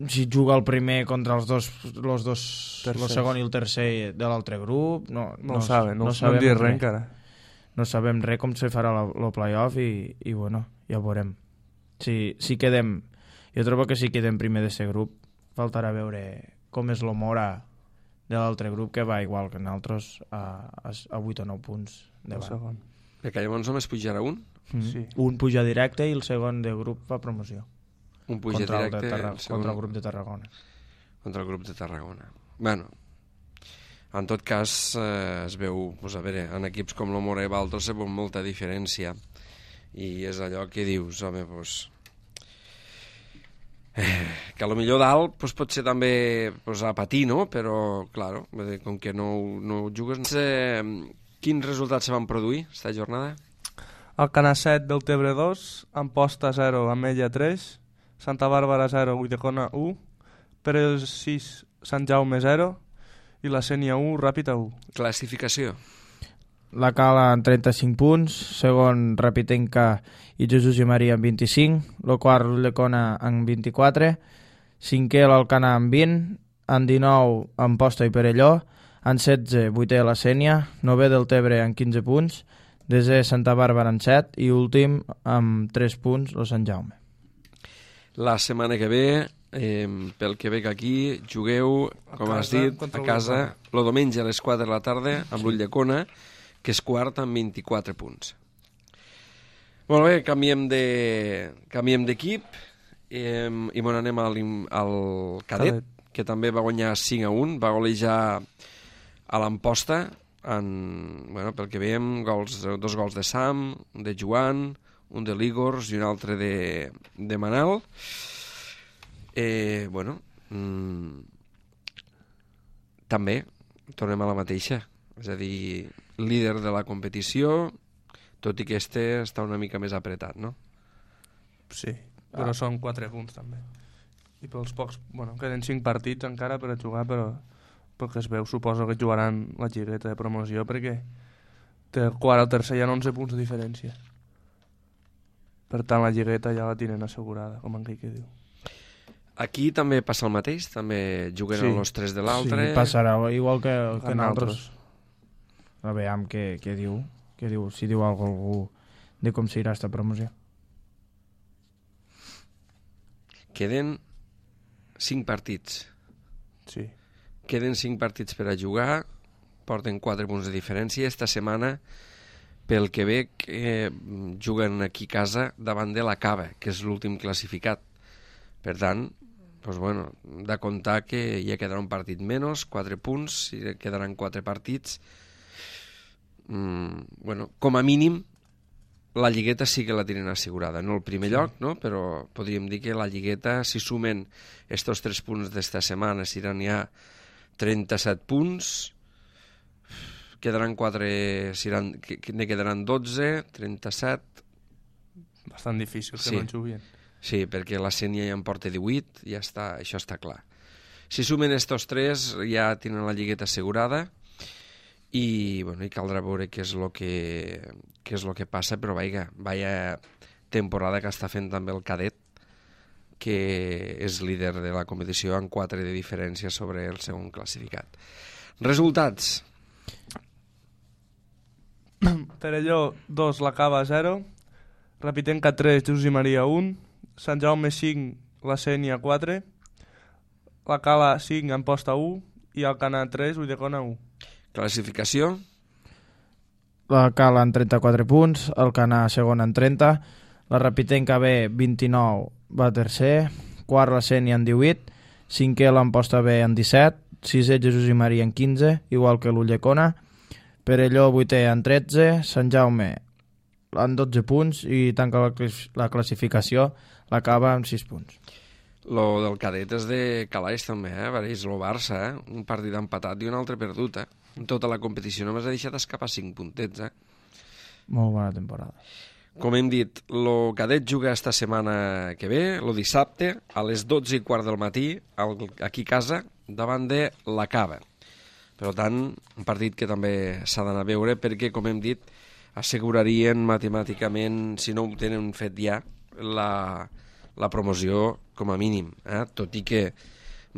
si juga el primer contra els dos, los dos el Tercers. segon i el tercer de l'altre grup, no, no, ho saben, no, no, sabem no dir res res. encara. No sabem res com se farà el playoff i, i bueno, ja veurem. Si, si quedem, jo trobo que si quedem primer d'aquest grup, faltarà veure com és l'Omora de l'altre grup, que va igual que nosaltres a, a, a vuit o nou punts El davant. segon. Perquè llavors només pujarà un, Mm. Sí. Un puja directe i el segon de grup fa promoció. un puja Contra el, de directe Tarra, el segon, contra el grup de Tarragona. contra el grup de Tarragona. Bueno, en tot cas eh, es veu, pues, a veure, en equips com l'Omora i Baltos se veu molta diferència i és allò que dius, home, pues, eh, que a lo millor dalt pues, pot ser també pues, a patir, no? Però, claro, vull dir, com que no, no jugues... Eh, quins resultats se van produir esta jornada? El Canasset del Tebre dos, Amposta zero, Ametlla tres, Santa Bàrbara zero, Ulldecona u, Pere sis, Sant Jaume zero i la Sénia u, Ràpita u. Classificació. La Cala amb trenta-cinc punts, segon Rapitenca i Jesús i Maria amb vint-i-cinc, el quart Ulldecona amb vint-i-quatre, cinquè l'Alcanar amb vint, amb dinou Amposta i Perelló, amb setze vuitè la Sénia, novè del Tebre amb quinze punts, desè Santa Bàrbara amb set i últim amb tres punts el Sant Jaume. La setmana que ve, eh, pel que veig aquí, jugueu, A com has casa, dit, contra a casa, l'Ulldecona. el diumenge a les quatre de la tarda, amb l'Ulldecona, que és quart amb vint-i-quatre punts. Molt bé, canviem de canviem d'equip eh, i bon, anem al, al cadet, Cadet. que també va guanyar cinc a un, va golejar a l'Amposta, en, bueno, pel que veiem, gols, dos gols de Sam, un de Joan, un de l'Igors i un altre de, de Manel. Eh, bueno, mm, també tornem a la mateixa, és a dir, líder de la competició, tot i que este està una mica més apretat, no? Sí, però ah. són quatre punts també. I pels pocs, bueno, queden cinc partits encara per a jugar, però pel que es veu suposo que jugaran la lligueta de promoció perquè té el quart al tercer hi ha onze punts de diferència. Per tant la lligueta ja la tenen assegurada, com en que diu. Aquí també passa el mateix, també juguen Sí. els tres de l'altre. Sí, passarà igual que, que En nosaltres. A veure què, què diu, què diu, si diu algú, algú de com s'irà esta promoció. Queden cinc partits. Sí. Queden cinc partits per a jugar, porten quatre punts de diferència. Esta setmana, pel que veig, eh, juguen aquí a casa davant de la Cava, que és l'últim classificat. Per tant, doncs bueno, de comptar que ja quedarà un partit menys, quatre punts, i quedaran quatre partits. Mm, bueno, com a mínim, la lligueta sí que la tenen assegurada. No el primer sí. lloc, no? Però podríem dir que la lligueta, si sumen estos tres punts d'esta setmana, seran ja trenta-set punts, quedaran quatre, seran, que, que ne quedaran dotze, trenta-set... Bastant difícil que Sí. no en juguin. Sí, perquè la Sénia ja en porta divuit, ja està, això està clar. Si sumen estos tres, ja tenen la lligueta assegurada i, bueno, i caldrà veure què és el que, què és lo que passa, però vaja, vaya temporada que està fent també el cadet, que és líder de la competició amb quatre de diferència sobre el segon classificat. Resultats. Perelló dos, la Cava zero, Rapitenca tres, Jesús i Maria un, Sant Jaume cinc, la Sénia quatre, la Cala cinc, Amposta u i Alcanar tres, Ulldecona u. Classificació. la Cala en trenta-quatre punts, el Canà segon en trenta, la Rapitenca B vint-i-nou va tercer, quart la Sénia en divuit, cinquè l'Amposta B en disset, sisè Jesús i Maria en quinze, igual que l'Ulldecona, Perelló vuitè en tretze, Sant Jaume en dotze punts i tanca la, clas la classificació, l'acaba amb sis punts. Lo del cadet és de calaix també, eh? Vareix lo Barça, eh? Un partit empatat i un altre perdut, eh? En tota la competició només ha deixat escapar cinc puntets, eh? Molt bona temporada. Com hem dit, lo cadet juga esta setmana que ve, lo dissabte, a les dotze i quart del matí, al, aquí a casa, davant de la Cava. Per tant, un partit que també s'ha d'anar a veure perquè, com hem dit, assegurarien matemàticament, si no ho tenen fet ja, la, la promoció com a mínim, eh? Tot i que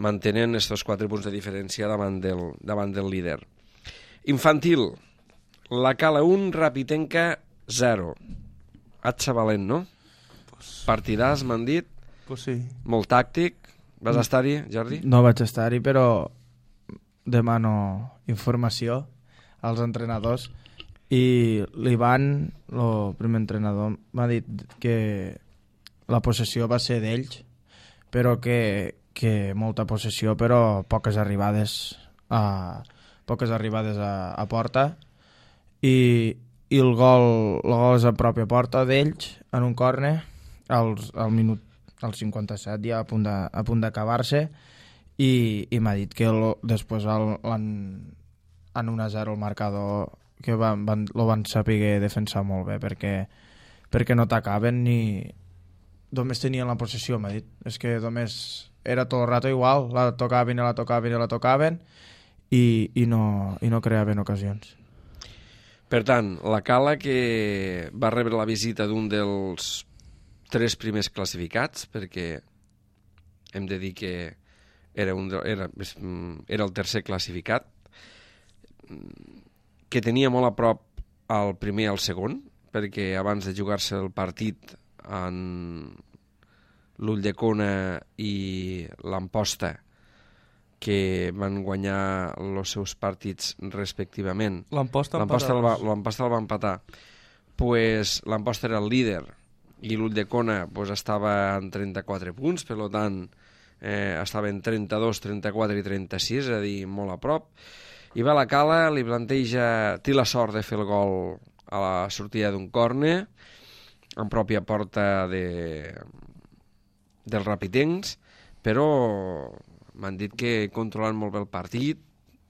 mantenen estos quatre punts de diferència davant del, davant del líder. Infantil, la Cala un, Rapitenca zero. Atxa valent, no? Pues, Partidàs, m'han dit, pues sí. molt tàctic. Vas estar-hi, Jordi? No vaig estar-hi, però demano informació als entrenadors i l'Ivan, el primer entrenador, m'ha dit que la possessió va ser d'ells, però que, que molta possessió, però poques arribades a, poques arribades a, a porta i, i el gol, el gol és a pròpia porta d'ells en un córner al, al minut al cinquanta-set ja a punt de, a punt d'acabar-se i, i m'ha dit que el, després el, en, en un a zero el marcador que van, van, lo van saber defensar molt bé perquè, perquè no t'acaben ni només tenien la possessió, m'ha dit. És que només era tot el rato igual, la tocaven i la tocaven i la tocaven i, i, no, i no creaven ocasions. Per tant, la Cala que va rebre la visita d'un dels tres primers classificats, perquè hem de dir que era, un de, era, era el tercer classificat, que tenia molt a prop al primer i al segon, perquè abans de jugar-se el partit en l'Ulldecona i l'Amposta, que van guanyar els seus partits respectivament. L'Amposta el va, el va empatar. Pues, L'Amposta era el líder i l'Ulldecona pues, estava en trenta-quatre punts, per tant eh, estava en trenta-dos, trenta-quatre i trenta-sis, és a dir, molt a prop. I va a la Cala, li planteja, té la sort de fer el gol a la sortida d'un córner, en pròpia porta de, dels rapitencs, però m'han dit que controlen molt bé el partit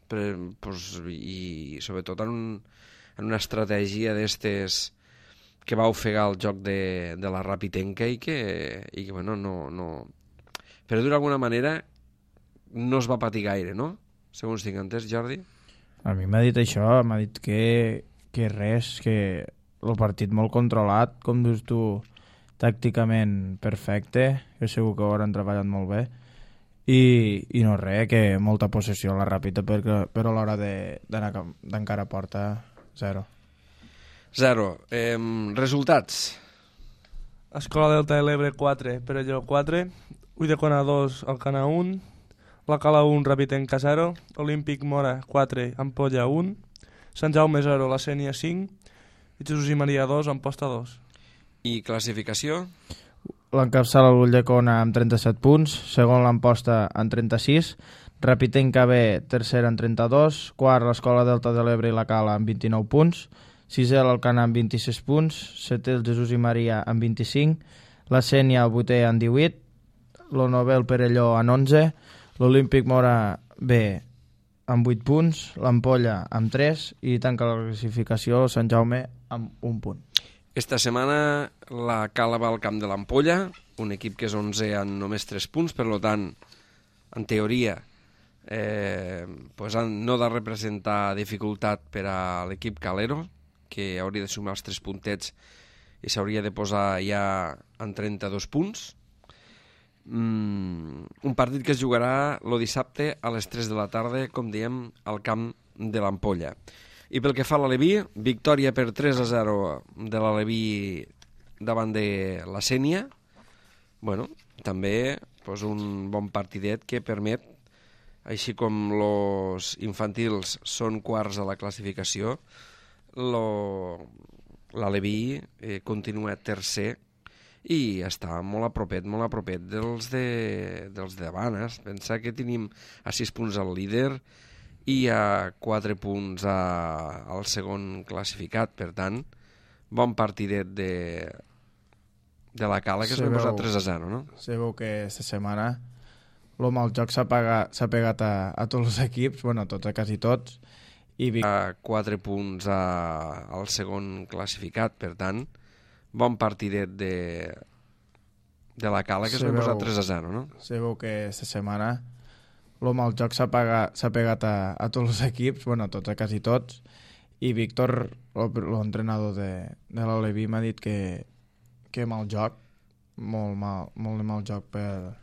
per, pues, i sobretot en, un, en una estratègia d'estes que va ofegar el joc de, de la rapitenca i que, i que bueno, no, no... però d'alguna manera no es va patir gaire, no? Segons tinc entès, Jordi? A mi m'ha dit això, m'ha dit que, que res, que el partit molt controlat, com dius tu, tàcticament perfecte, que segur que ho hauran treballat molt bé, i, i no res, que molta possessió a la ràpida, perquè, però a l'hora d'encara a porta, zero. Zero. Eh, resultats? Escola Delta de l'Ebre quatre, Perelló quatre, Ulldecona dos, Alcanar un, la Cala un, Rapitenca zero, Olímpic Mora quatre, Ampolla un, Sant Jaume zero, la Sénia cinc, i Jesús i Maria dos, Amposta dos. I classificació? L'encapçala l'Ulldecona amb trenta-set punts, segon l'Amposta amb trenta-sis, Rapitenca B tercera amb trenta-dos, quart l'Escola Delta de l'Ebre i la Cala amb vint-i-nou punts, sisè l'Alcanar amb vint-i-sis punts, setè el Jesús i Maria amb vint-i-cinc, la Sénia el vuitè amb divuit, el novè el Perelló amb onze, l'Olímpic Mora B amb vuit punts, l'Ampolla amb tres i tanca la classificació Sant Jaume amb un punt. Esta setmana la Cala va al camp de l'Ampolla, un equip que és onze amb només tres punts, per tant, en teoria, eh, pues no ha de representar dificultat per a l'equip calero, que hauria de sumar els tres puntets i s'hauria de posar ja en trenta-dos punts. Mm, un partit que es jugarà el dissabte a les tres de la tarda, com diem, al camp de l'Ampolla. I pel que fa a l'Aleví, victòria per tres a zero de l'Aleví davant de la Sénia. Bueno, també pues, un bon partidet que permet, així com els infantils són quarts a la classificació, lo... l'Aleví eh, continua tercer i està molt a propet, molt a propet dels de, dels de davant. Eh? Pensa que tenim a sis punts al líder i a quatre punts a, al segon classificat. Per tant, bon partidet de, de la Cala, que s'ha posat tres a zero, no? Se veu que aquesta setmana el mal joc s'ha pegat a, a tots els equips, bueno, a tots, a quasi tots, i Vic... a quatre punts a, al segon classificat. Per tant, bon partidet de, de la Cala, que s'ha posat tres a zero, no? Se veu que aquesta setmana el mal joc s'ha pegat, pegat a, a tots els equips, bueno, a tots, a quasi tots, i Víctor, l'entrenador de, de l'Aleví, m'ha dit que, que mal joc, molt mal, molt de mal joc per,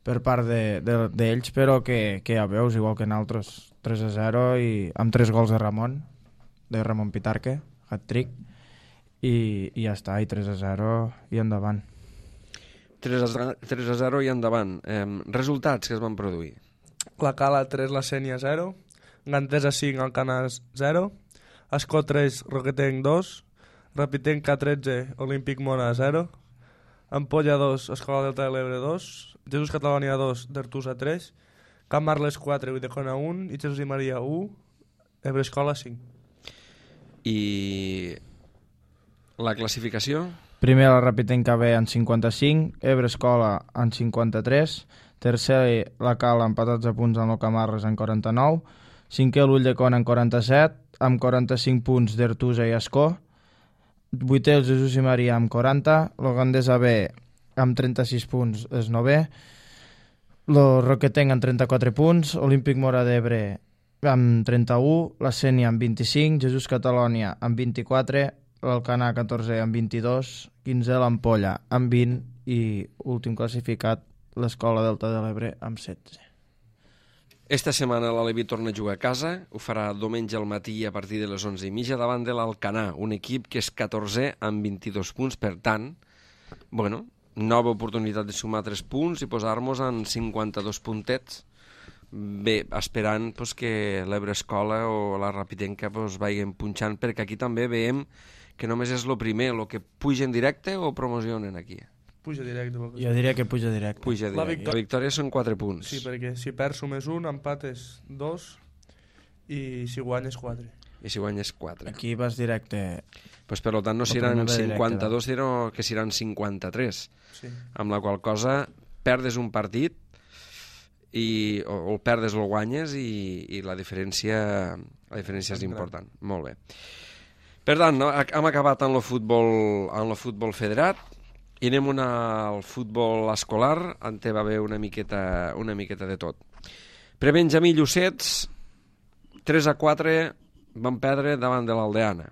per part d'ells, de, de, però que, que ja veus, igual que en altres, tres a zero i amb tres gols de Ramon, de Ramon Pitarque, hat-trick, i, i ja està, i tres a zero i endavant. tres a zero i endavant. Eh, resultats que es van produir. La Cala tres, la Sènia zero, Gantesa cinc, Alcanar zero, Escó tres, Roquetenc dos, Rapitenca tretze, Olímpic Mona zero, Ampolla dos, Escola Delta de l'Ebre dos, Jesús Catalònia dos, Dertusa tres, Camp Marles quatre, Uidecona un i Jesús i Maria u, Ebre Escola cinc. I la classificació? Primer la Rapitenca B en cinquanta-cinc, Ebre Escola en cinquanta-tres, tercer la Cala empatats a punts amb el Camarles en quaranta-nou, cinquè l'Ulldecona en quaranta-set, amb quaranta-cinc punts d'Ertusa i Escó, vuitè el Jesús i Maria amb quaranta, el Gandesa B amb trenta-sis punts és novè, el Roquetenc amb trenta-quatre punts, Olímpic Mora d'Ebre amb trenta-u, la Sènia amb vint-i-cinc, Jesús Catalònia amb vint-i-quatre, l'Alcanar catorze amb vint-i-dos, quinzè l'Ampolla amb vint i últim classificat l'Escola Delta de l'Ebre amb setze. Esta setmana l'Aleví torna a jugar a casa, ho farà diumenge al matí a partir de les onze i mitja davant de l'Alcanar, un equip que és catorzè amb vint-i-dos punts, per tant, bueno, nova oportunitat de sumar tres punts i posar-nos en cinquanta-dos puntets. Bé, esperant pues, que l'Ebre Escola o la Rapitenca pues, vagin punxant, perquè aquí també veiem que només és el primer, el que puja en directe o promocionen aquí. Puja directe. Jo diria que puja directe. Puja directe. La, victòria... la victòria són quatre punts. Sí, perquè si perds sumes un, empates dos i si guanyes quatre. I si guanyes quatre. Aquí vas directe. Pues, per tant, no seran cinquanta-dos, sinó que seran cinquanta-tres. Sí. Amb la qual cosa perdes un partit i, o, o el perdes o el guanyes i, i la diferència, la diferència és important. Molt bé. Per tant, no, hem acabat amb el futbol, amb el futbol federat i anem una, al futbol escolar, on va haver una miqueta, una miqueta de tot. Prebenjamí Llucets, tres a quatre van perdre davant de l'Aldeana.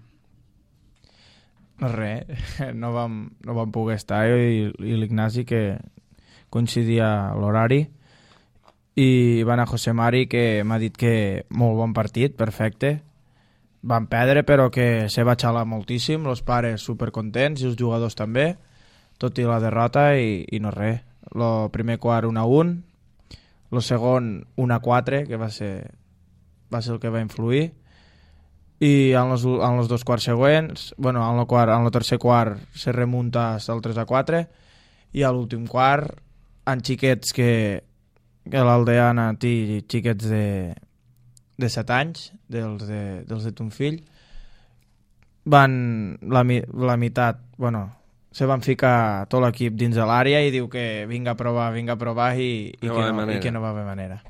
Res, no vam, no vam poder estar jo i, i l'Ignasi, que coincidia l'horari, i va anar José Mari, que m'ha dit que molt bon partit, perfecte. Van perdre, però que se va xalar moltíssim, els pares supercontents i els jugadors també, tot i la derrota, i, i no res. El primer quart un a un, el segon un a quatre, que va ser, va ser el que va influir, i en els, en els dos quarts següents, bueno, en el, quart, en el tercer quart se remunta al tres a quatre, i a l'últim quart, en xiquets que, que l'Aldeana té xiquets de, de set anys, dels de, dels de ton fill, van la, la meitat, bueno, se van ficar tot l'equip dins de l'àrea i diu que vinga a provar, vinga a provar i, i, no que, no, i que no va haver manera.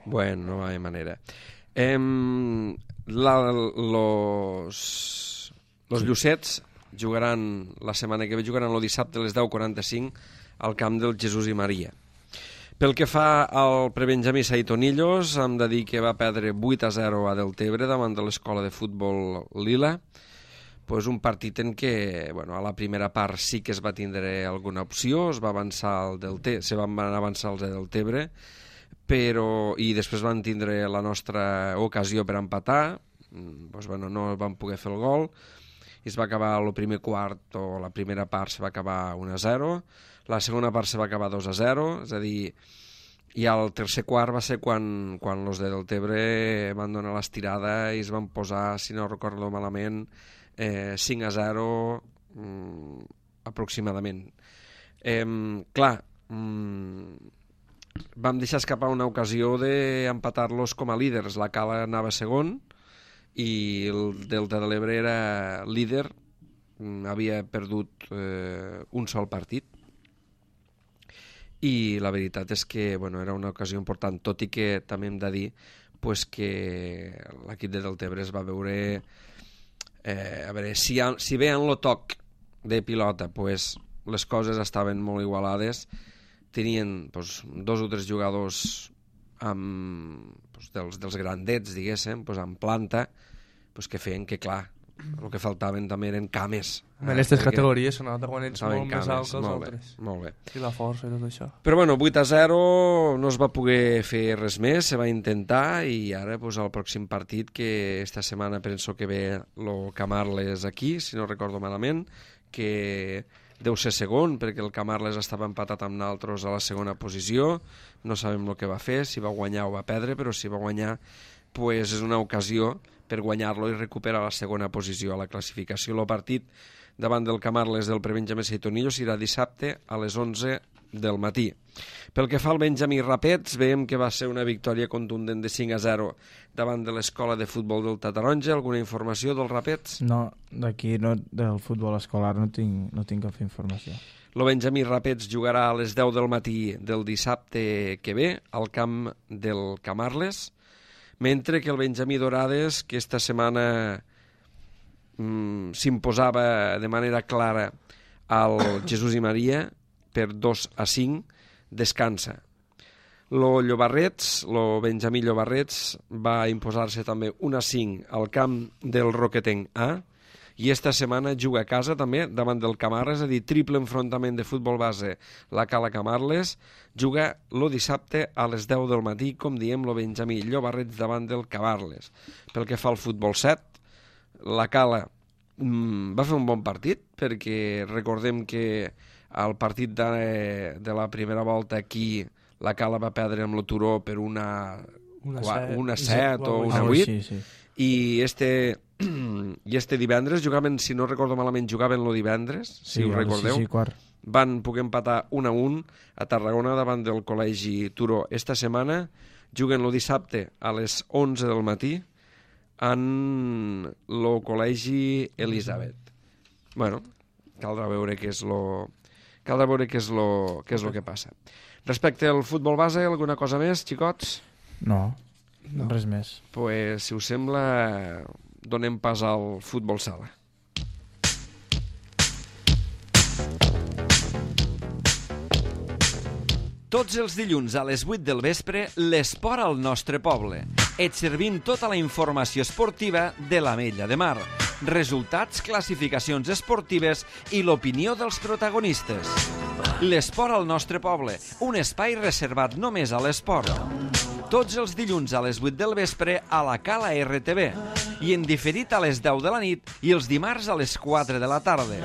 Bueno, no va haver manera. Em, la, los, los Llucets jugaran la setmana que ve, jugaran el dissabte a les deu quaranta-cinc al camp del Jesús i Maria. Pel que fa al prebenjamí Saitonillos, hem de dir que va perdre vuit a zero a Deltebre davant de l'escola de futbol Lila. Pues un partit en què, bueno, a la primera part sí que es va tindre alguna opció, es va avançar el Delte, se van avançar els de Deltebre, però, i després van tindre la nostra ocasió per empatar, pues, bueno, no van poder fer el gol, i es va acabar el primer quart, o la primera part se va acabar un a zero, la segona part se va acabar dos a zero, és a dir, i al tercer quart va ser quan, quan los de Deltebre van donar l'estirada i es van posar, si no recordo malament, eh, cinc a zero mm, aproximadament. Eh, clar, mm, vam deixar escapar una ocasió d'empatar-los com a líders. La Cala anava segon i el Delta de l'Ebre era líder, havia perdut eh, un sol partit, i la veritat és que bueno, era una ocasió important, tot i que també hem de dir pues, que l'equip de Deltebre es va veure eh, a veure, si, ha, si bé en lo toc de pilota pues, les coses estaven molt igualades, tenien pues, dos o tres jugadors amb, pues, dels, dels grandets, diguéssim, pues, amb planta, pues, que feien que, clar, el que faltaven també eren cames. En aquestes categories se nota quan ets molt més alt que els molt altres. Bé, molt bé. I la força i tot això. Però bueno, vuit a zero no es va poder fer res més, se va intentar i ara pues, el pròxim partit, que esta setmana penso que ve el Camarles aquí, si no recordo malament, que deu ser segon, perquè el Camarles estava empatat amb naltros a la segona posició, no sabem el que va fer, si va guanyar o va perdre, però si va guanyar pues, és una ocasió per guanyar-lo i recuperar la segona posició a la classificació. El partit davant del Camarles del Prebenjamí Seitonillo serà dissabte a les onze del matí. Pel que fa al Benjamí Rapets, veiem que va ser una victòria contundent de cinc a zero davant de l'escola de futbol del Taronja. Alguna informació dels Rapets? No, d'aquí no, del futbol escolar no tinc, no tinc cap informació. El Benjamí Rapets jugarà a les deu del matí del dissabte que ve al camp del Camarles, mentre que el Benjamí Dorades, que esta setmana mm, s'imposava de manera clara al Jesús i Maria per dos a cinc, descansa. Lo Llobarrets, lo Benjamí Llobarrets va imposar-se també un a cinc al camp del Roquetenc A, i esta setmana juga a casa també davant del Camarles, és a dir, triple enfrontament de futbol base la Cala Camarles, juga lo dissabte a les deu del matí, com diem, lo Benjamí Llobarrets davant del Camarles. Pel que fa al futbol set, la Cala mm, va fer un bon partit, perquè recordem que al partit de, de la primera volta aquí la Cala va perdre amb lo Turó per una, Una qua, set. una set o una Ah, vuit, sí, sí. i este i este divendres jugaven, si no recordo malament, jugaven lo divendres, si Sí, ho a les recordeu, sis i quart. van poder empatar un a un a Tarragona davant del Col·legi Turó. Esta setmana juguen lo dissabte a les onze del matí en lo Col·legi Elisabet. Bueno, caldrà veure què és lo caldrà veure què és lo, què és lo que passa. Respecte al futbol base, alguna cosa més, xicots? No, no, res més. Pues, si us sembla, donem pas al futbol sala. Tots els dilluns a les vuit del vespre, l'esport al nostre poble. Et servim tota la informació esportiva de l'Ametlla de Mar. Resultats, classificacions esportives i l'opinió dels protagonistes. L'esport al nostre poble, un espai reservat només a l'esport. Tots els dilluns a les vuit del vespre a la Cala R T V i en diferit a les deu de la nit i els dimarts a les quatre de la tarda.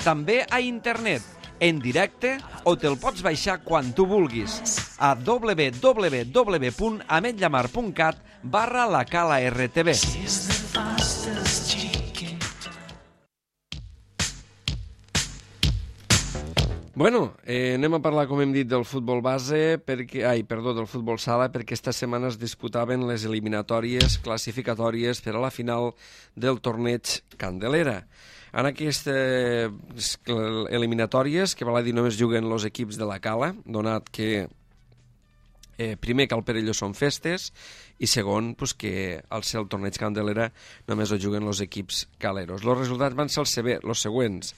També a internet, en directe, o te'l pots baixar quan tu vulguis a w w w punt ametllamar punt cat barra la Cala R T V. Bueno, eh, anem a parlar, com hem dit, del futbol base, perquè, ai, perdó, del futbol sala, perquè esta setmana es disputaven les eliminatòries classificatòries per a la final del torneig Candelera. En aquestes eliminatòries, que val a dir només juguen els equips de la Cala, donat que eh, primer que al Perelló són festes i segon pues, que al ser el torneig Candelera només ho juguen els equips caleros. Els resultats van ser els, els següents.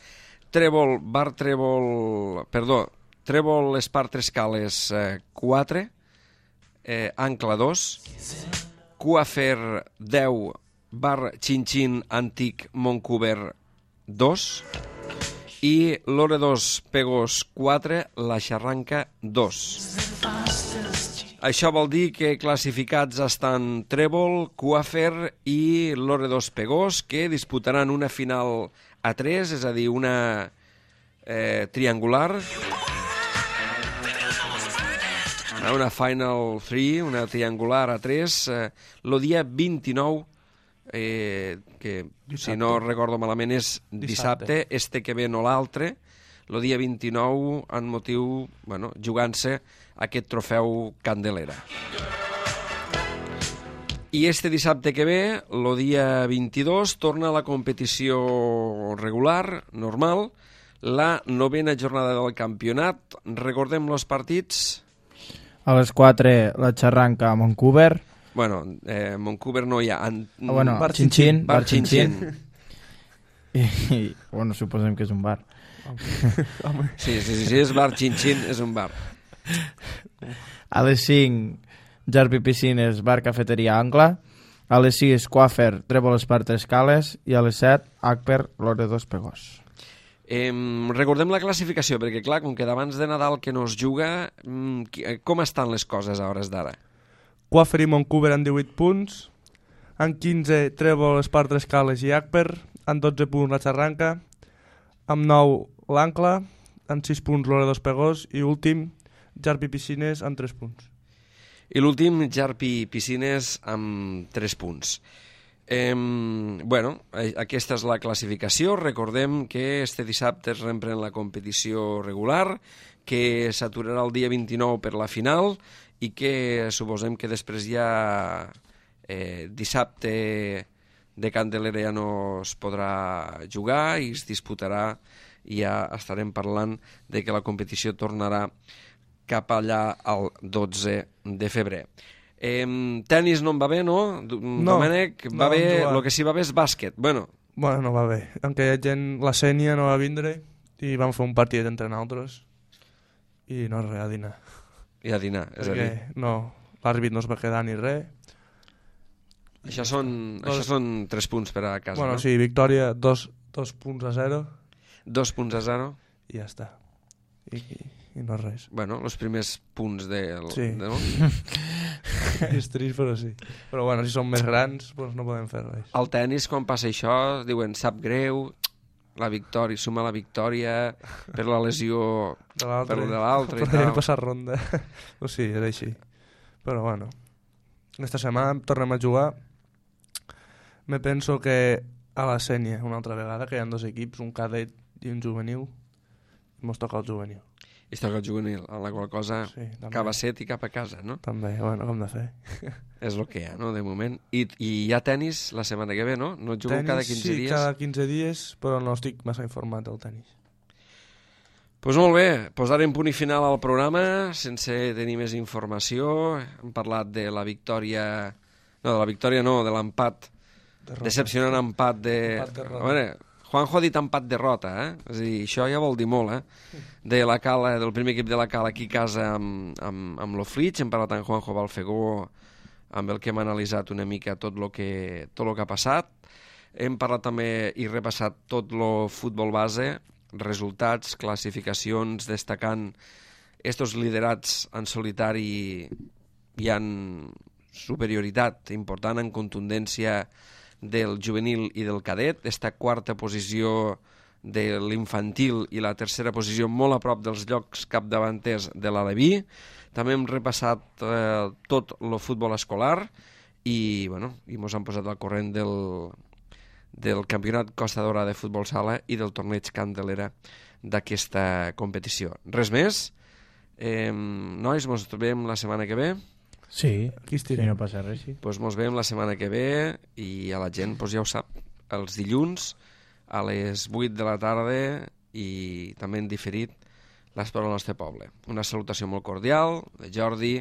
Trèvol, Bar Trèvol, perdó, Trèvol Espartres Cales eh, quatre, eh, Ancla dos, Cuafer deu, Bar Xinxin Antic Montcuber dos i Lore dos Pegós quatre, La Xarranca dos. Això vol dir que classificats estan Trèvol, Cuafer i Lore dos Pegós, que disputaran una final a tres, és a dir, una eh, triangular, una Final tres, una triangular a tres, eh, el dia vint-i-nou, eh, que dissabte. Si no recordo malament és dissabte, dissabte, este que ve no l'altre, el dia vint-i-nou, en motiu, bueno, jugant-se aquest trofeu Candelera. I este dissabte que ve, el dia vint-i-dos, torna a la competició regular, normal, la novena jornada del campionat. Recordem els partits. A les quatre la xarranca a Vancouver. Bueno, eh, Vancouver no hi ha. En... Ah, bueno, bar Chin-Chin. Bar Chin-Chin. I, I, bueno, suposem que és un bar. Sí, sí, sí, sí, és bar Chin-Chin, és un bar. A les cinc, Jarpi Piscines, bar cafeteria Ancla. A les sis, Coafer, Trèvol Espar Tres Cales. I a les set, Acper, Loredos Pegós. Eh, recordem la classificació, perquè clar, com que d'abans de Nadal que no es juga, com estan les coses a hores d'ara? Coafer i Vancouver amb divuit punts, amb quinze Trèvol, Espar Tres Cales i Acper, amb dotze punts la Xarranca, amb nou l'Ancla, amb sis punts Loredos Pegós i últim Jarpi Piscines amb tres punts. I l'últim, Jarpi Piscines amb tres punts. Eh, bueno, aquesta és la classificació. Recordem que este dissabte es reprèn la competició regular, que s'aturarà el dia vint-i-nou per la final i que suposem que després ja eh, dissabte de Candelera ja no es podrà jugar i es disputarà i ja estarem parlant de que la competició tornarà cap allà el dotze de febrer. Eh, tenis no em va bé, no? No, Domènec, va no, bé, no el que sí va bé és bàsquet. Bueno, Bueno, no va bé. Aquella gent, la Sènia no va vindre i vam fer un partit entre nosaltres i no res, a dinar. i a dinar, és a Perquè dir. no, l'àrbit no es va quedar ni res. Això són, Dos- això són tres punts per a casa, Bueno, no? sí, victòria, dos, dos punts a zero Dos punts a zero. i ja està. I, i, i no res. Bueno, els primers punts del... Sí. De, no? És trist, però sí. Però bueno, si som més grans, doncs no podem fer res. Al tennis, quan passa això, diuen sap greu, la victòria, suma la victòria per la lesió De l'altre, per de l'altre i podríem tal. passar ronda. O sí, era així. Però bueno, aquesta setmana tornem a jugar. Me penso que a la Sènia, una altra vegada, que hi ha dos equips, un cadet i un juvenil, i mos toca el juvenil. I es toca el juvenil, en la qual cosa Sí, també. cap a set i cap a casa, no? També, bueno, com de fer. És el que hi ha, no?, de moment. I, i hi ha tenis la setmana que ve, no? No jugueu Tenis, cada quinze sí, dies? cada quinze dies, però no estic massa informat del tenis. Doncs pues molt bé, posarem punt i final al programa, sense tenir més informació. Hem parlat de la victòria... No, de la victòria no, de l'empat. Derrota. Decepcionant empat de... Empat derrota. A veure, Juanjo ha dit empat-derrota, eh? És a dir, això ja vol dir molt, eh? De la Cala, del primer equip de la Cala aquí a casa amb, amb, amb l'Oflitx. Hem parlat amb Juanjo Balfegó, amb el que hem analitzat una mica tot el que, tot lo que ha passat. Hem parlat també i repassat tot el futbol base, resultats, classificacions, destacant estos liderats en solitari hi han superioritat important en contundència del juvenil i del cadet, esta quarta posició de l'infantil i la tercera posició molt a prop dels llocs capdavanters de l'Aleví. També hem repassat eh, tot el futbol escolar i, bueno, i mos han posat al corrent del, del Campionat Costa Daurada de Futbol Sala i del torneig Candelera d'aquesta competició. Res més? Eh, nois, mos trobem la setmana que ve? Sí, Aquí si estirem. no passa res, sí. Pues mos veiem la setmana que ve i a la gent pues ja ho sap, els dilluns a les vuit de la tarda i també en diferit l'Esport al nostre poble. Una salutació molt cordial de Jordi,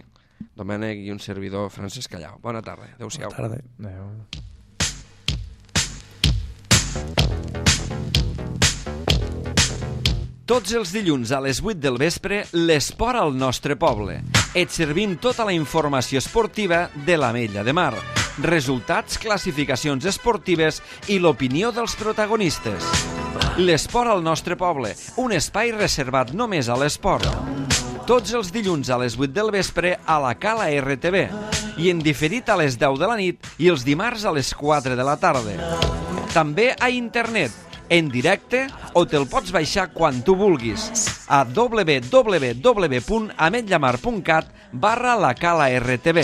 Domènec i un servidor, Francesc Callau. Bona tarda, adeu-siau. Bona tarda. Adéu. Tots els dilluns a les vuit del vespre, l'esport al nostre poble. Et servim tota la informació esportiva de l'Ametlla de Mar. Resultats, classificacions esportives i l'opinió dels protagonistes. L'esport al nostre poble, un espai reservat només a l'esport. Tots els dilluns a les vuit del vespre a la Cala R T V i en diferit a les deu de la nit i els dimarts a les quatre de la tarda. També a internet, en directe o te'l pots baixar quan tu vulguis. a w w w punt ametlllamar punt cat barra la cala R T B.